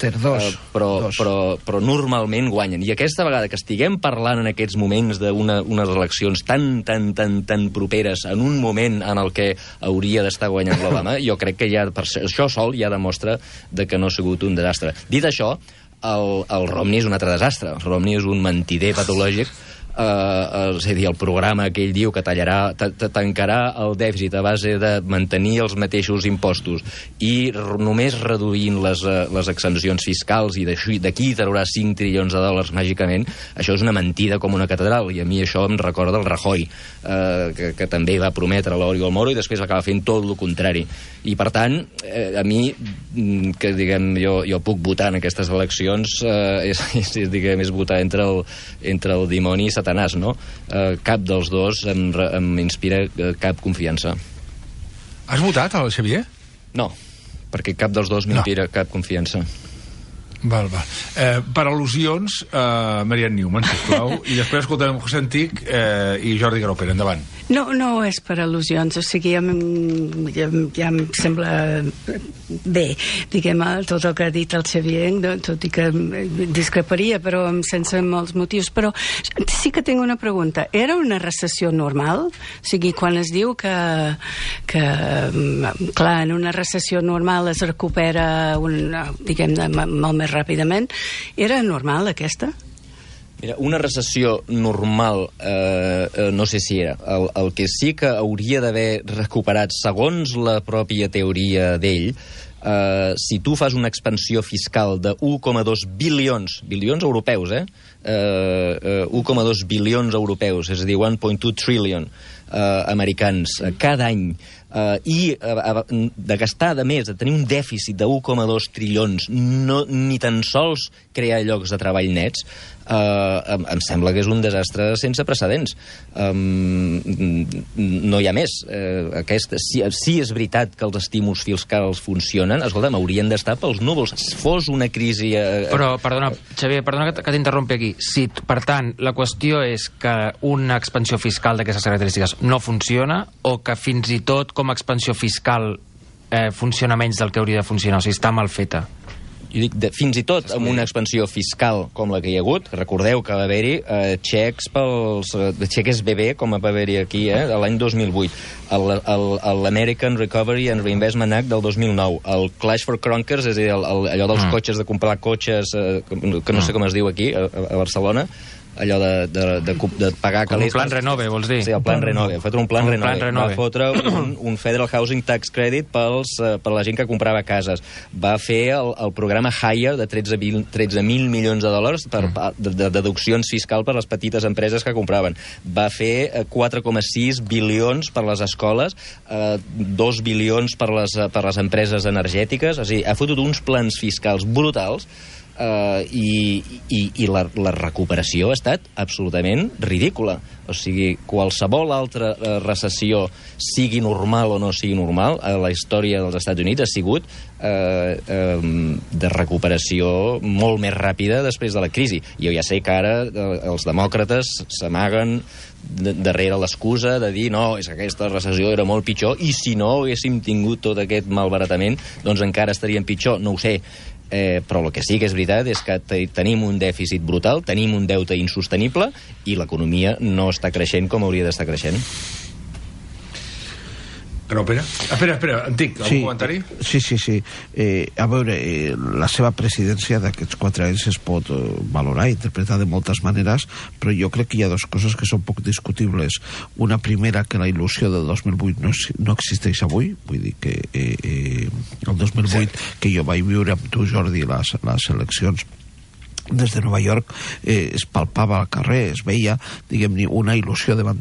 Però normalment guanyen. I aquesta vegada que estiguem parlant en aquests moments d'unes eleccions tan properes, en un moment en el que hauria d'estar guanyant l'Obama, jo crec que ja per això sol ja demostra que no ha sigut un desastre. Dit això, el Romney és un altre desastre. El Romney és un mentider patològic. És a dir, el programa que ell diu que tancarà el dèficit a base de mantenir els mateixos impostos i només reduint les exempcions fiscals i d'aquí traurà 5 trilions de dòlars màgicament, això és una mentida com una catedral, i a mi això em recorda el Rajoy, que també va prometre l'Oriol Moro i després va acabar fent tot el contrari. I per tant, a mi, que diguem, jo puc votar en aquestes eleccions, és votar entre el dimoni i Satanàs, no? Cap dels dos em inspira cap confiança. Has votat, el Xavier? No, perquè cap dels dos m'inspira cap confiança. Val. Per al·lusions, Marianne Newman, sisplau, i després escoltarem José Antic i Jordi Graupera. Endavant. No és per al·lusions, o sigui, ja em sembla bé, diguem, tot el que ha dit el Xavier, tot i que discreparia, però sense molts motius. Però sí que tinc una pregunta. Era una recessió normal? O sigui, quan es diu que clar, en una recessió normal es recupera, diguem, molt més ràpidament, era normal aquesta? Mira, una recessió normal no sé si era. El que sí que hauria d'haver recuperat, segons la pròpia teoria d'ell, si tu fas una expansió fiscal de 1,2 bilions europeus, 1,2 bilions europeus, és a dir, 1.2 trillion americans cada any, i de gastar, de més, de tenir un dèficit de 1,2 trilions, ni tan sols crear llocs de treball nets, em sembla que és un desastre sense precedents. No hi ha més. Si és veritat que els estímuls fiscals funcionen, escolta'm, haurien d'estar pels núvols. Fos una crisi... Però, perdona, Xavier, que t'interrompi aquí. Si, per tant, la qüestió és que una expansió fiscal d'aquestes característiques no funciona, o que fins i tot com a expansió fiscal funciona menys del que hauria de funcionar, o sigui, està mal feta. Jo dic, fins i tot amb una expansió fiscal com la que hi ha hagut, recordeu que va haver-hi xecs pels... xeques bebè, com va haver-hi aquí, l'any 2008, l'American Recovery and Reinvestment Act del 2009, el Clash for Clunkers, és a dir, allò dels cotxes, de comprar cotxes, que no sé com es diu aquí, a Barcelona, allò de pagar calés... Un plan renove, vols dir? Sí, el plan renove. Ha fet un plan renove. Va fotre un Federal Housing Tax Credit per la gent que comprava cases. Va fer el programa Hire de 13.000 milions de dòlars de deduccions fiscal per les petites empreses que compraven. Va fer 4,6 bilions per les escoles, 2 bilions per les empreses energètiques. És a dir, ha fotut uns plans fiscals brutals i la recuperació ha estat absolutament ridícula. O sigui, qualsevol altra recessió, sigui normal o no sigui normal, a la història dels Estats Units ha sigut de recuperació molt més ràpida després de la crisi. Jo ja sé que ara els demòcrates s'amaguen darrere l'excusa de dir no, és que aquesta recessió era molt pitjor i si no haguéssim tingut tot aquest malbaratament, doncs encara estaríem pitjor. No ho sé. Però el que sí que és veritat és que tenim un dèficit brutal, tenim un deute insostenible i l'economia no està creixent com hauria d'estar creixent. Graupera? Espera, Antic, algun comentari? Sí. A veure, la seva presidència d'aquests 4 anys es pot valorar i interpretar de moltes maneres, però jo crec que hi ha dues coses que són poc discutibles. Una primera, que la il·lusió del 2008 no existeix avui, vull dir que el 2008 que jo vaig viure amb tu, Jordi, les eleccions des de Nova York, es palpava al carrer, es veia, diguem-ne, una il·lusió davant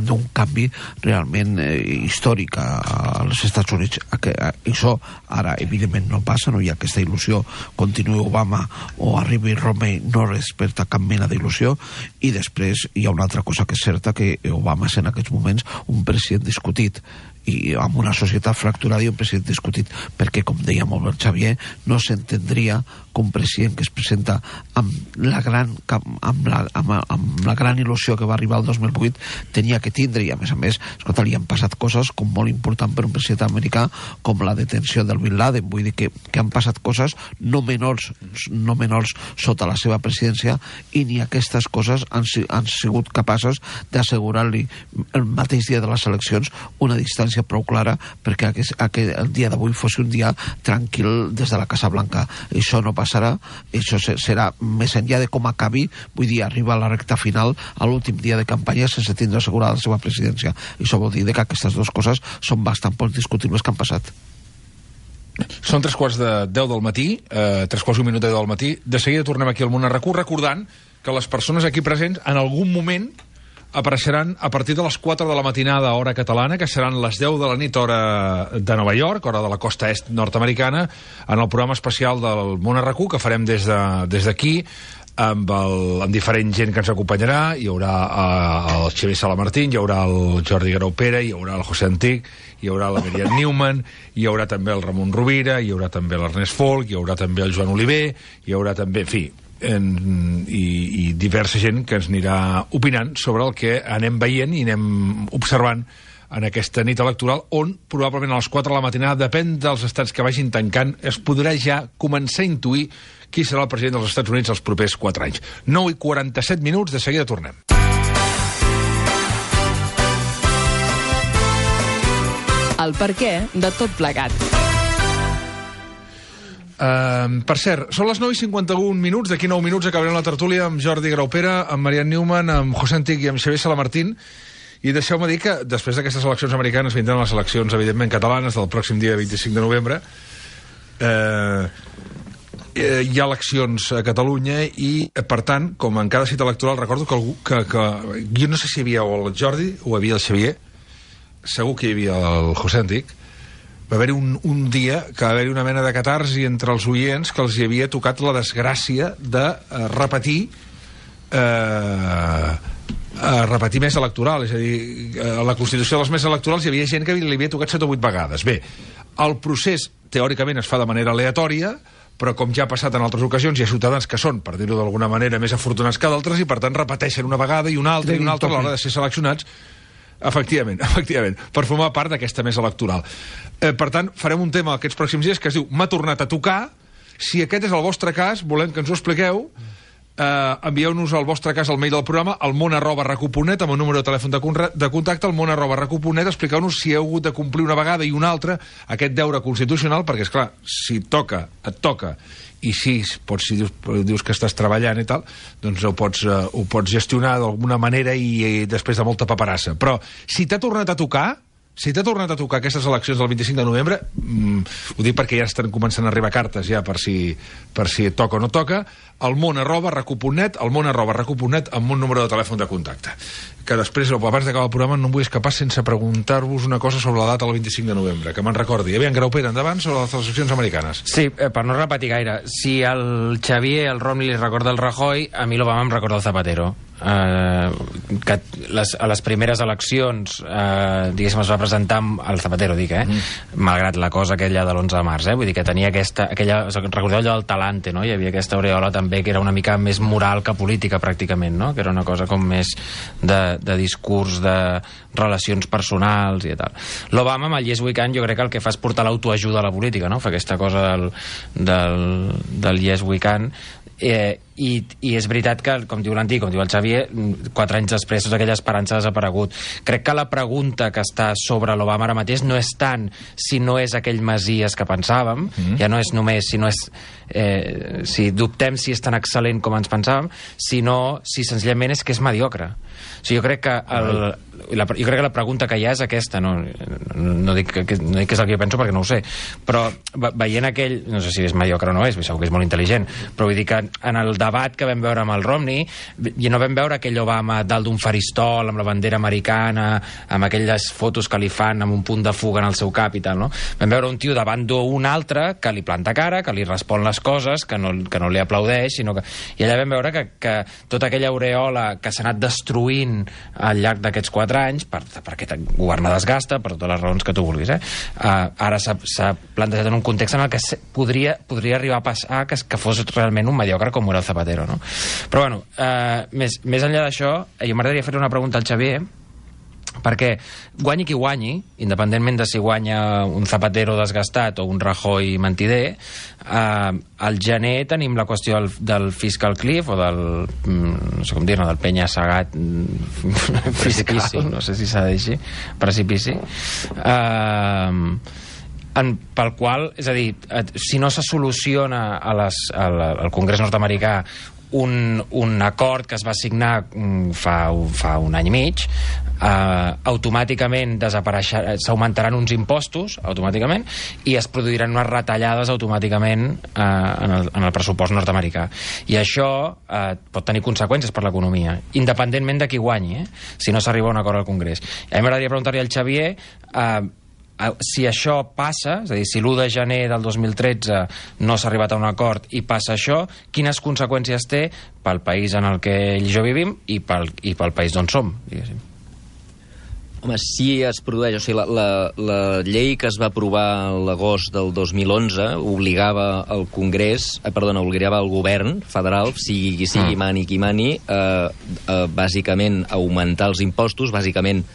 d'un canvi realment històric als Estats Units. Això ara, evidentment, no passa, no hi ha aquesta il·lusió. Continuï Obama o arribi Romney, no desperta cap mena d'il·lusió. I després hi ha una altra cosa que és certa, que Obama és en aquests moments un president discutit, i amb una societat fracturada i un president discutit, perquè, com deia molt bé el Xavier, no s'entendria que un president que es presenta amb la gran il·lusió que va arribar el 2008 tenia que tindre, i a més, escolta, li han passat coses com molt important per un president americà, com la detenció del Bin Laden. Vull dir que han passat coses no menors sota la seva presidència, i ni aquestes coses han sigut capaces d'assegurar-li el mateix dia de les eleccions una distància prou clara perquè el dia d'avui fos un dia tranquil des de la Casa Blanca. Això no passarà, això serà més enllà de com acabi, vull dir, arriba a la recta final, a l'últim dia de campanya, sense tindre assegurada la seva presidència. Això vol dir que aquestes dues coses són bastant poc discutibles que han passat. Són 3:10 del matí, 3:15 del matí. De seguida tornem aquí al Món RQ, recordant que les persones aquí presents en algun moment apareixeran a partir de les 4 de la matinada, hora catalana, que seran les 10 de la nit, hora de Nova York, hora de la costa est nord-americana, en el programa especial del Món RQ, que farem des d'aquí, amb diferent gent que ens acompanyarà. Hi haurà el Xavier Salamartín, hi haurà el Jordi Graupera, hi haurà el José Antic, hi haurà la Merian Newman, hi haurà també el Ramon Rovira, hi haurà també l'Ernest Folk, hi haurà també el Joan Oliver, hi haurà també, en fi, i diversa gent que ens anirà opinant sobre el que anem veient i anem observant en aquesta nit electoral, on probablement a les 4 de la matinada, depèn dels estats que vagin tancant, es podrà ja començar a intuir qui serà el president dels Estats Units els propers 4 anys. 9:47, de seguida tornem. El perquè de tot plegat. Per cert, són les 9:51, d'aquí 9 minuts acabarem la tertúlia amb Jordi Graupera, amb Merian Newman, amb José Antic i amb Xavier Salamartín, i deixeu-me dir que després d'aquestes eleccions americanes vindran les eleccions, evidentment, catalanes del pròxim dia 25 de novembre. Hi ha eleccions a Catalunya i, per tant, com en cada cita electoral, recordo que jo no sé si hi havia o el Jordi o hi havia el Xavier, segur que hi havia el José Antic. Va haver-hi un dia que va haver-hi una mena de catarsi entre els oients que els hi havia tocat la desgràcia de repetir més electoral. És a dir, a la Constitució dels més electorals hi havia gent que li havia tocat 7 o 8 vegades. Bé, el procés teòricament es fa de manera aleatòria, però com ja ha passat en altres ocasions, hi ha ciutadans que són, per dir-ho d'alguna manera, més afortunats que d'altres i per tant repeteixen una vegada i una altra i una altra a l'hora de ser seleccionats Efectivament, per formar part d'aquesta mesa electoral. Per tant, farem un tema aquests pròxims dies que es diu M'ha tornat a tocar. Si aquest és el vostre cas, volem que ens ho expliqueu. Envieu-nos el vostre cas al mail del programa almon@recu.net amb un número de telèfon de contacte almon@recu.net. Expliqueu-nos si heu hagut de complir una vegada i una altra aquest deure constitucional, perquè, esclar, si toca, et toca, i si dius que estàs treballant i tal, doncs ho pots gestionar d'alguna manera i després de molta paperassa. Però si t'ha tornat a tocar aquestes eleccions del 25 de novembre, ho dic perquè ja estan començant a arribar cartes ja per si toca o no toca, almon@recu.net, almon@recu.net amb un número de telèfon de contacte. Que després, abans d'acabar el programa, no em vull escapar sense preguntar-vos una cosa sobre la data del 25 de novembre, que me'n recordi. Aviam, Graupera, endavant, sobre les eleccions americanes. Sí, per no repetir gaire, si el Xavier, el Romney li recorda el Rajoy, a mi l'Obama em recorda el Zapatero. Que a les primeres eleccions diguéssim es va presentar el Zapatero, malgrat la cosa aquella de l'11 de març, vull dir que tenia aquella, recordeu allò del talante, no? Hi havia aquesta aureola també que era una mica més moral que política pràcticament, no? Que era una cosa com més de discurs, de relacions personals i tal. L'Obama amb el Yes We Can jo crec que el que fa és portar l'autoajuda a la política, no? Fa aquesta cosa del Yes We Can. I és veritat que, com diu l'Antic, com diu el Xavier, 4 anys després tota aquella esperança ha desaparegut. Crec que la pregunta que està sobre l'Obama ara mateix no és tant si no és aquell Messies que pensàvem, ja no és només si dubtem si és tan excel·lent com ens pensàvem, sinó si senzillament és que és mediocre. O sigui, jo crec que la pregunta que hi ha és aquesta, no dic que és el que jo penso perquè no ho sé, però veient aquell, no sé si és mediocre o no és, segur que és molt intel·ligent, però vull dir que en el debat que vam veure amb el Romney, i no vam veure aquell Obama dalt d'un faristol amb la bandera americana, amb aquelles fotos que li fan amb un punt de fuga en el seu cap i tal, no? Vam veure un tio davant d'un altre que li planta cara, que li respon les coses, que no li aplaudeix, sinó que... I allà vam veure que tota aquella aureola que s'ha anat destruint al llarg d'aquests 4 anys, perquè governar desgasta, per totes les raons que tu vulguis, ara s'ha plantejat en un context en el que podria arribar a passar que fos realment un mediocre com era el Zapatero, no? Però bueno, més enllà d'això, jo m'agradaria fer una pregunta al Xavier, perquè guanyi qui guanyi, independentment de si guanya un Zapatero desgastat o un Rajoy mentider, al gener tenim la qüestió del fiscal cliff o del, no sé com dir-ne, del penya-segat precipici, no sé si s'ha de dir així, precipici, pel qual, és a dir, si no se soluciona al Congrés nord-americà un acord que es va signar fa un any i mig, automàticament s'augmentaran uns impostos automàticament i es produiran unes retallades automàticament en el pressupost nord-americà, i això pot tenir conseqüències per l'economia independentment de qui guanyi, si no s'arriba a un acord al Congrés. A mi m'agradaria preguntar-li al Xavier si això passa, és a dir, si l'1 de gener del 2013 no s'ha arribat a un acord i passa això, quines conseqüències té pel país en el que ell i jo vivim i pel país d'on som, diguéssim. Home, si es produeix... O sigui, la llei que es va aprovar a l'agost del 2011 obligava al Congrés, obligava al govern federal, sigui mani qui mani, bàsicament augmentar els impostos, bàsicament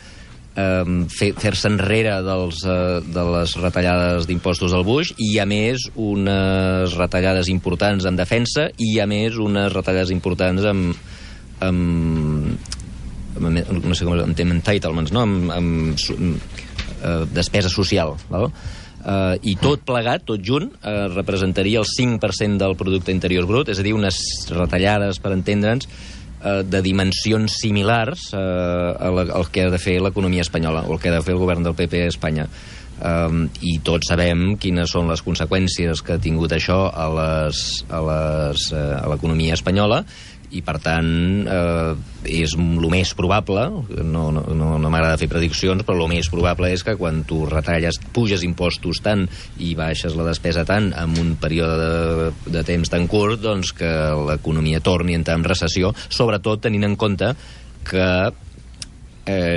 fer-se enrere de les retallades d'impostos del Bush, i a més unes retallades importants en defensa i a més unes retallades importants no sé com en entitlements, no? Despesa social, val? I tot plegat, tot junt, representaria el 5% del producte interior brut, és a dir, unes retallades, per entendre'ns, de dimensions similars al que ha de fer l'economia espanyola o el que ha de fer el govern del PP a Espanya. I tots sabem quines són les conseqüències que ha tingut això a l'economia espanyola, i per tant és el més probable, no m'agrada fer prediccions, però el més probable és que quan tu retalles, puges impostos tant i baixes la despesa tant en un període de temps tan curt, doncs que l'economia torni a entrar en recessió, sobretot tenint en compte que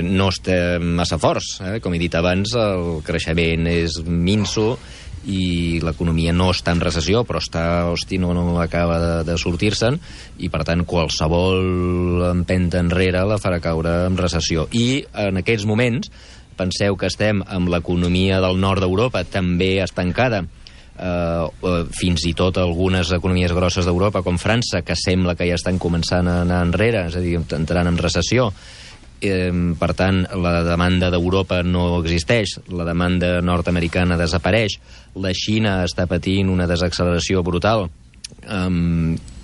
no estem massa forts, com he dit abans, el creixement és minso i l'economia no està en recessió, però no acaba de sortir-se'n, i per tant qualsevol empenta enrere la farà caure en recessió. I en aquests moments, penseu que estem amb l'economia del nord d'Europa també estancada, fins i tot algunes economies grosses d'Europa, com França, que sembla que ja estan començant a anar enrere, és a dir, entrant en recessió. Per tant, la demanda d'Europa no existeix, la demanda nord-americana desapareix, la Xina està patint una desacceleració brutal,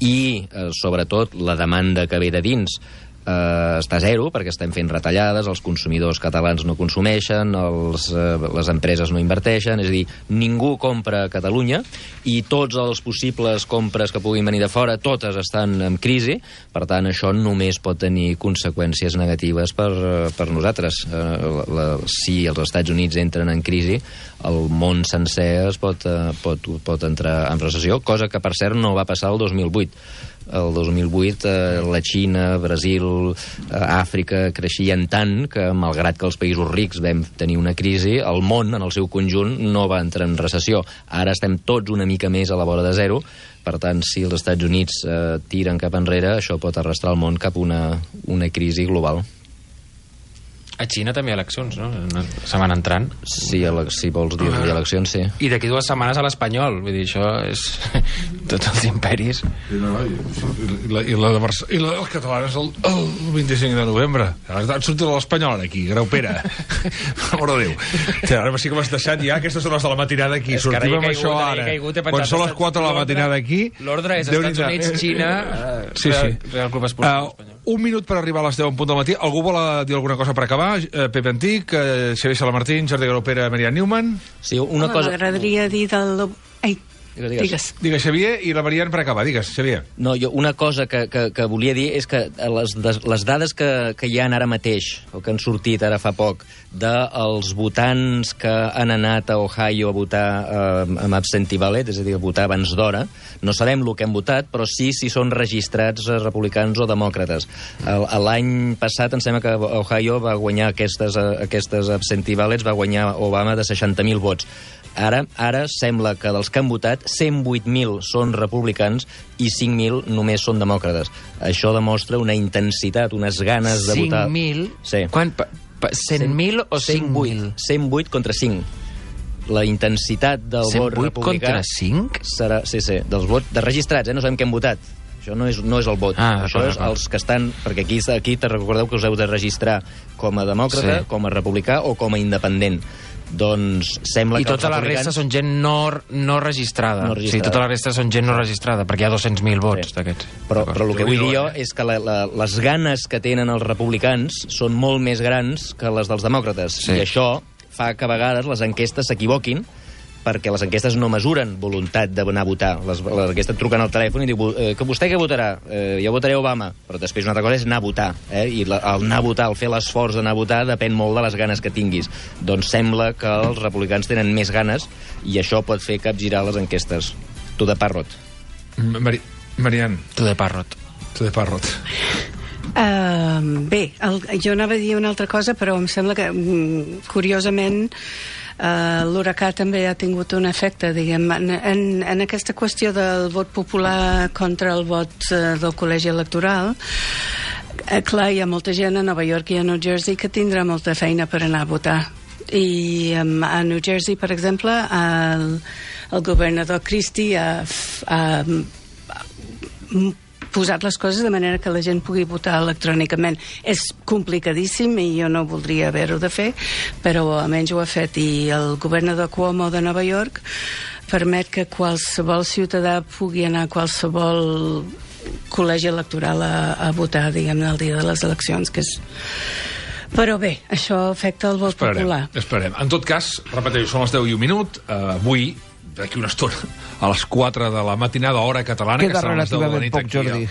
i, sobretot, la demanda que ve de dins està a zero, perquè estem fent retallades, els consumidors catalans no consumeixen, les empreses no inverteixen, és a dir, ningú compra a Catalunya, i tots els possibles compres que puguin venir de fora, totes estan en crisi. Per tant, això només pot tenir conseqüències negatives per nosaltres. Si els Estats Units entren en crisi, el món sencer es pot entrar en recessió, cosa que, per cert, no va passar el 2008. El 2008 la Xina, Brasil, Àfrica creixien tant que, malgrat que els països rics vam tenir una crisi, el món en el seu conjunt no va entrar en recessió. Ara estem tots una mica més a la vora de zero. Per tant, si els Estats Units tiren cap enrere, això pot arrastrar el món cap a una crisi global. A Xina també hi ha eleccions, no? Una setmana entrant. Sí, si vols dir eleccions, sí. I d'aquí 2 setmanes a l'Espanyol. Vull dir, això és... tots els imperis. I el català és el 25 de novembre. Han sortit l'Espanyol aquí, Graupera. Per amor de Déu. Ara sí que m'has deixat ja aquestes hores de la matinada aquí. Sortim amb això ara. Quan són les 4 de la matinada aquí... L'ordre és Estats Units, Xina, Real Club Esportiu Espanyol. Un minut per arribar a les 10 en punt del matí. Algú vol dir alguna cosa per acabar? Pepe Antic, Xavier Salamartín, Jordi Graupera, Marian Newman. Sí, una cosa... M'agradaria dir del... Ai, digues. Digues, Xavier, i la Marian per acabar. Digues, Xavier. No, una cosa que volia dir és que les dades que hi ha ara mateix, o que han sortit ara fa poc, dels votants que han anat a Ohio a votar amb absentee ballot, és a dir, a votar abans d'hora, no sabem el que han votat, però sí si són registrats republicans o demòcrates. L'any passat em sembla que Ohio va guanyar aquestes absentee ballots, va guanyar Obama de 60.000 vots. Ara sembla que dels que han votat, 108.000 són republicans i 5.000 només són demòcrates. Això demostra una intensitat, unes ganes de votar... 5.000? Sí. 100.000 o 5.000? 108 contra 5. La intensitat del vot republicà... 108 contra 5? Serà, sí, dels vots de registrats, no sabem què han votat. Això no és el vot. Això és els que estan... Perquè aquí te recordeu que us heu de registrar com a demòcrata, com a republicà o com a independent. Doncs sembla que... I tota la resta són gent no registrada. Sí, tota la resta són gent no registrada, perquè hi ha 200.000 vots d'aquests. Però el que vull dir jo és que les ganes que tenen els republicans són molt més grans que les dels demòcrates. I això fa que a vegades les enquestes s'equivoquin, perquè les enquestes no mesuren voluntat d'anar a votar. Les enquestes et truquen al telèfon i diu que vostè què votarà? Jo votaré Obama. Però després una altra cosa és anar a votar. I el anar a votar, el fer l'esforç d'anar a votar, depèn molt de les ganes que tinguis. Doncs sembla que els republicans tenen més ganes i això pot fer capgirar les enquestes. To the parrot. Marian. To the parrot. Bé, jo anava a dir una altra cosa, però em sembla que, curiosament, l'huracà també ha tingut un efecte, diguem, en aquesta qüestió del vot popular contra el vot del col·legi electoral. Clar, hi ha molta gent a Nova York i a New Jersey que tindrà molta feina per anar a votar. I a New Jersey, per exemple, el governador Christie ha posat les coses de manera que la gent pugui votar electrònicament. És complicadíssim i jo no voldria haver-ho de fer, però almenys ho ha fet. I el governador Cuomo de Nova York permet que qualsevol ciutadà pugui anar a qualsevol col·legi electoral a votar, diguem, el dia de les eleccions, que és... Però bé, això afecta el vot popular. Esperem. En tot cas, repeteixo, són les 10 i un minut. Avui, d'aquí una estona, a les 4 de la matinada, hora catalana... Queda relativament poc, Jordi.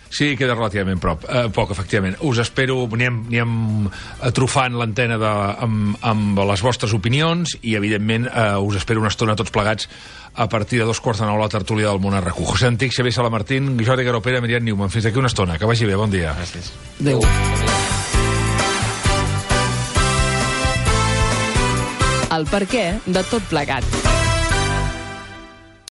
Sí, queda relativament poc, efectivament. Us espero, anem atrofant l'antena amb les vostres opinions i, evidentment, us espero una estona tots plegats a partir de 2:45 la tertúlia del Món RQ. José Antic, Xavier Salamartín, Jordi Graupera, Marian Newman. Fins d'aquí una estona. Que vagi bé, bon dia. Gràcies. Adéu. El perquè de tot plegat.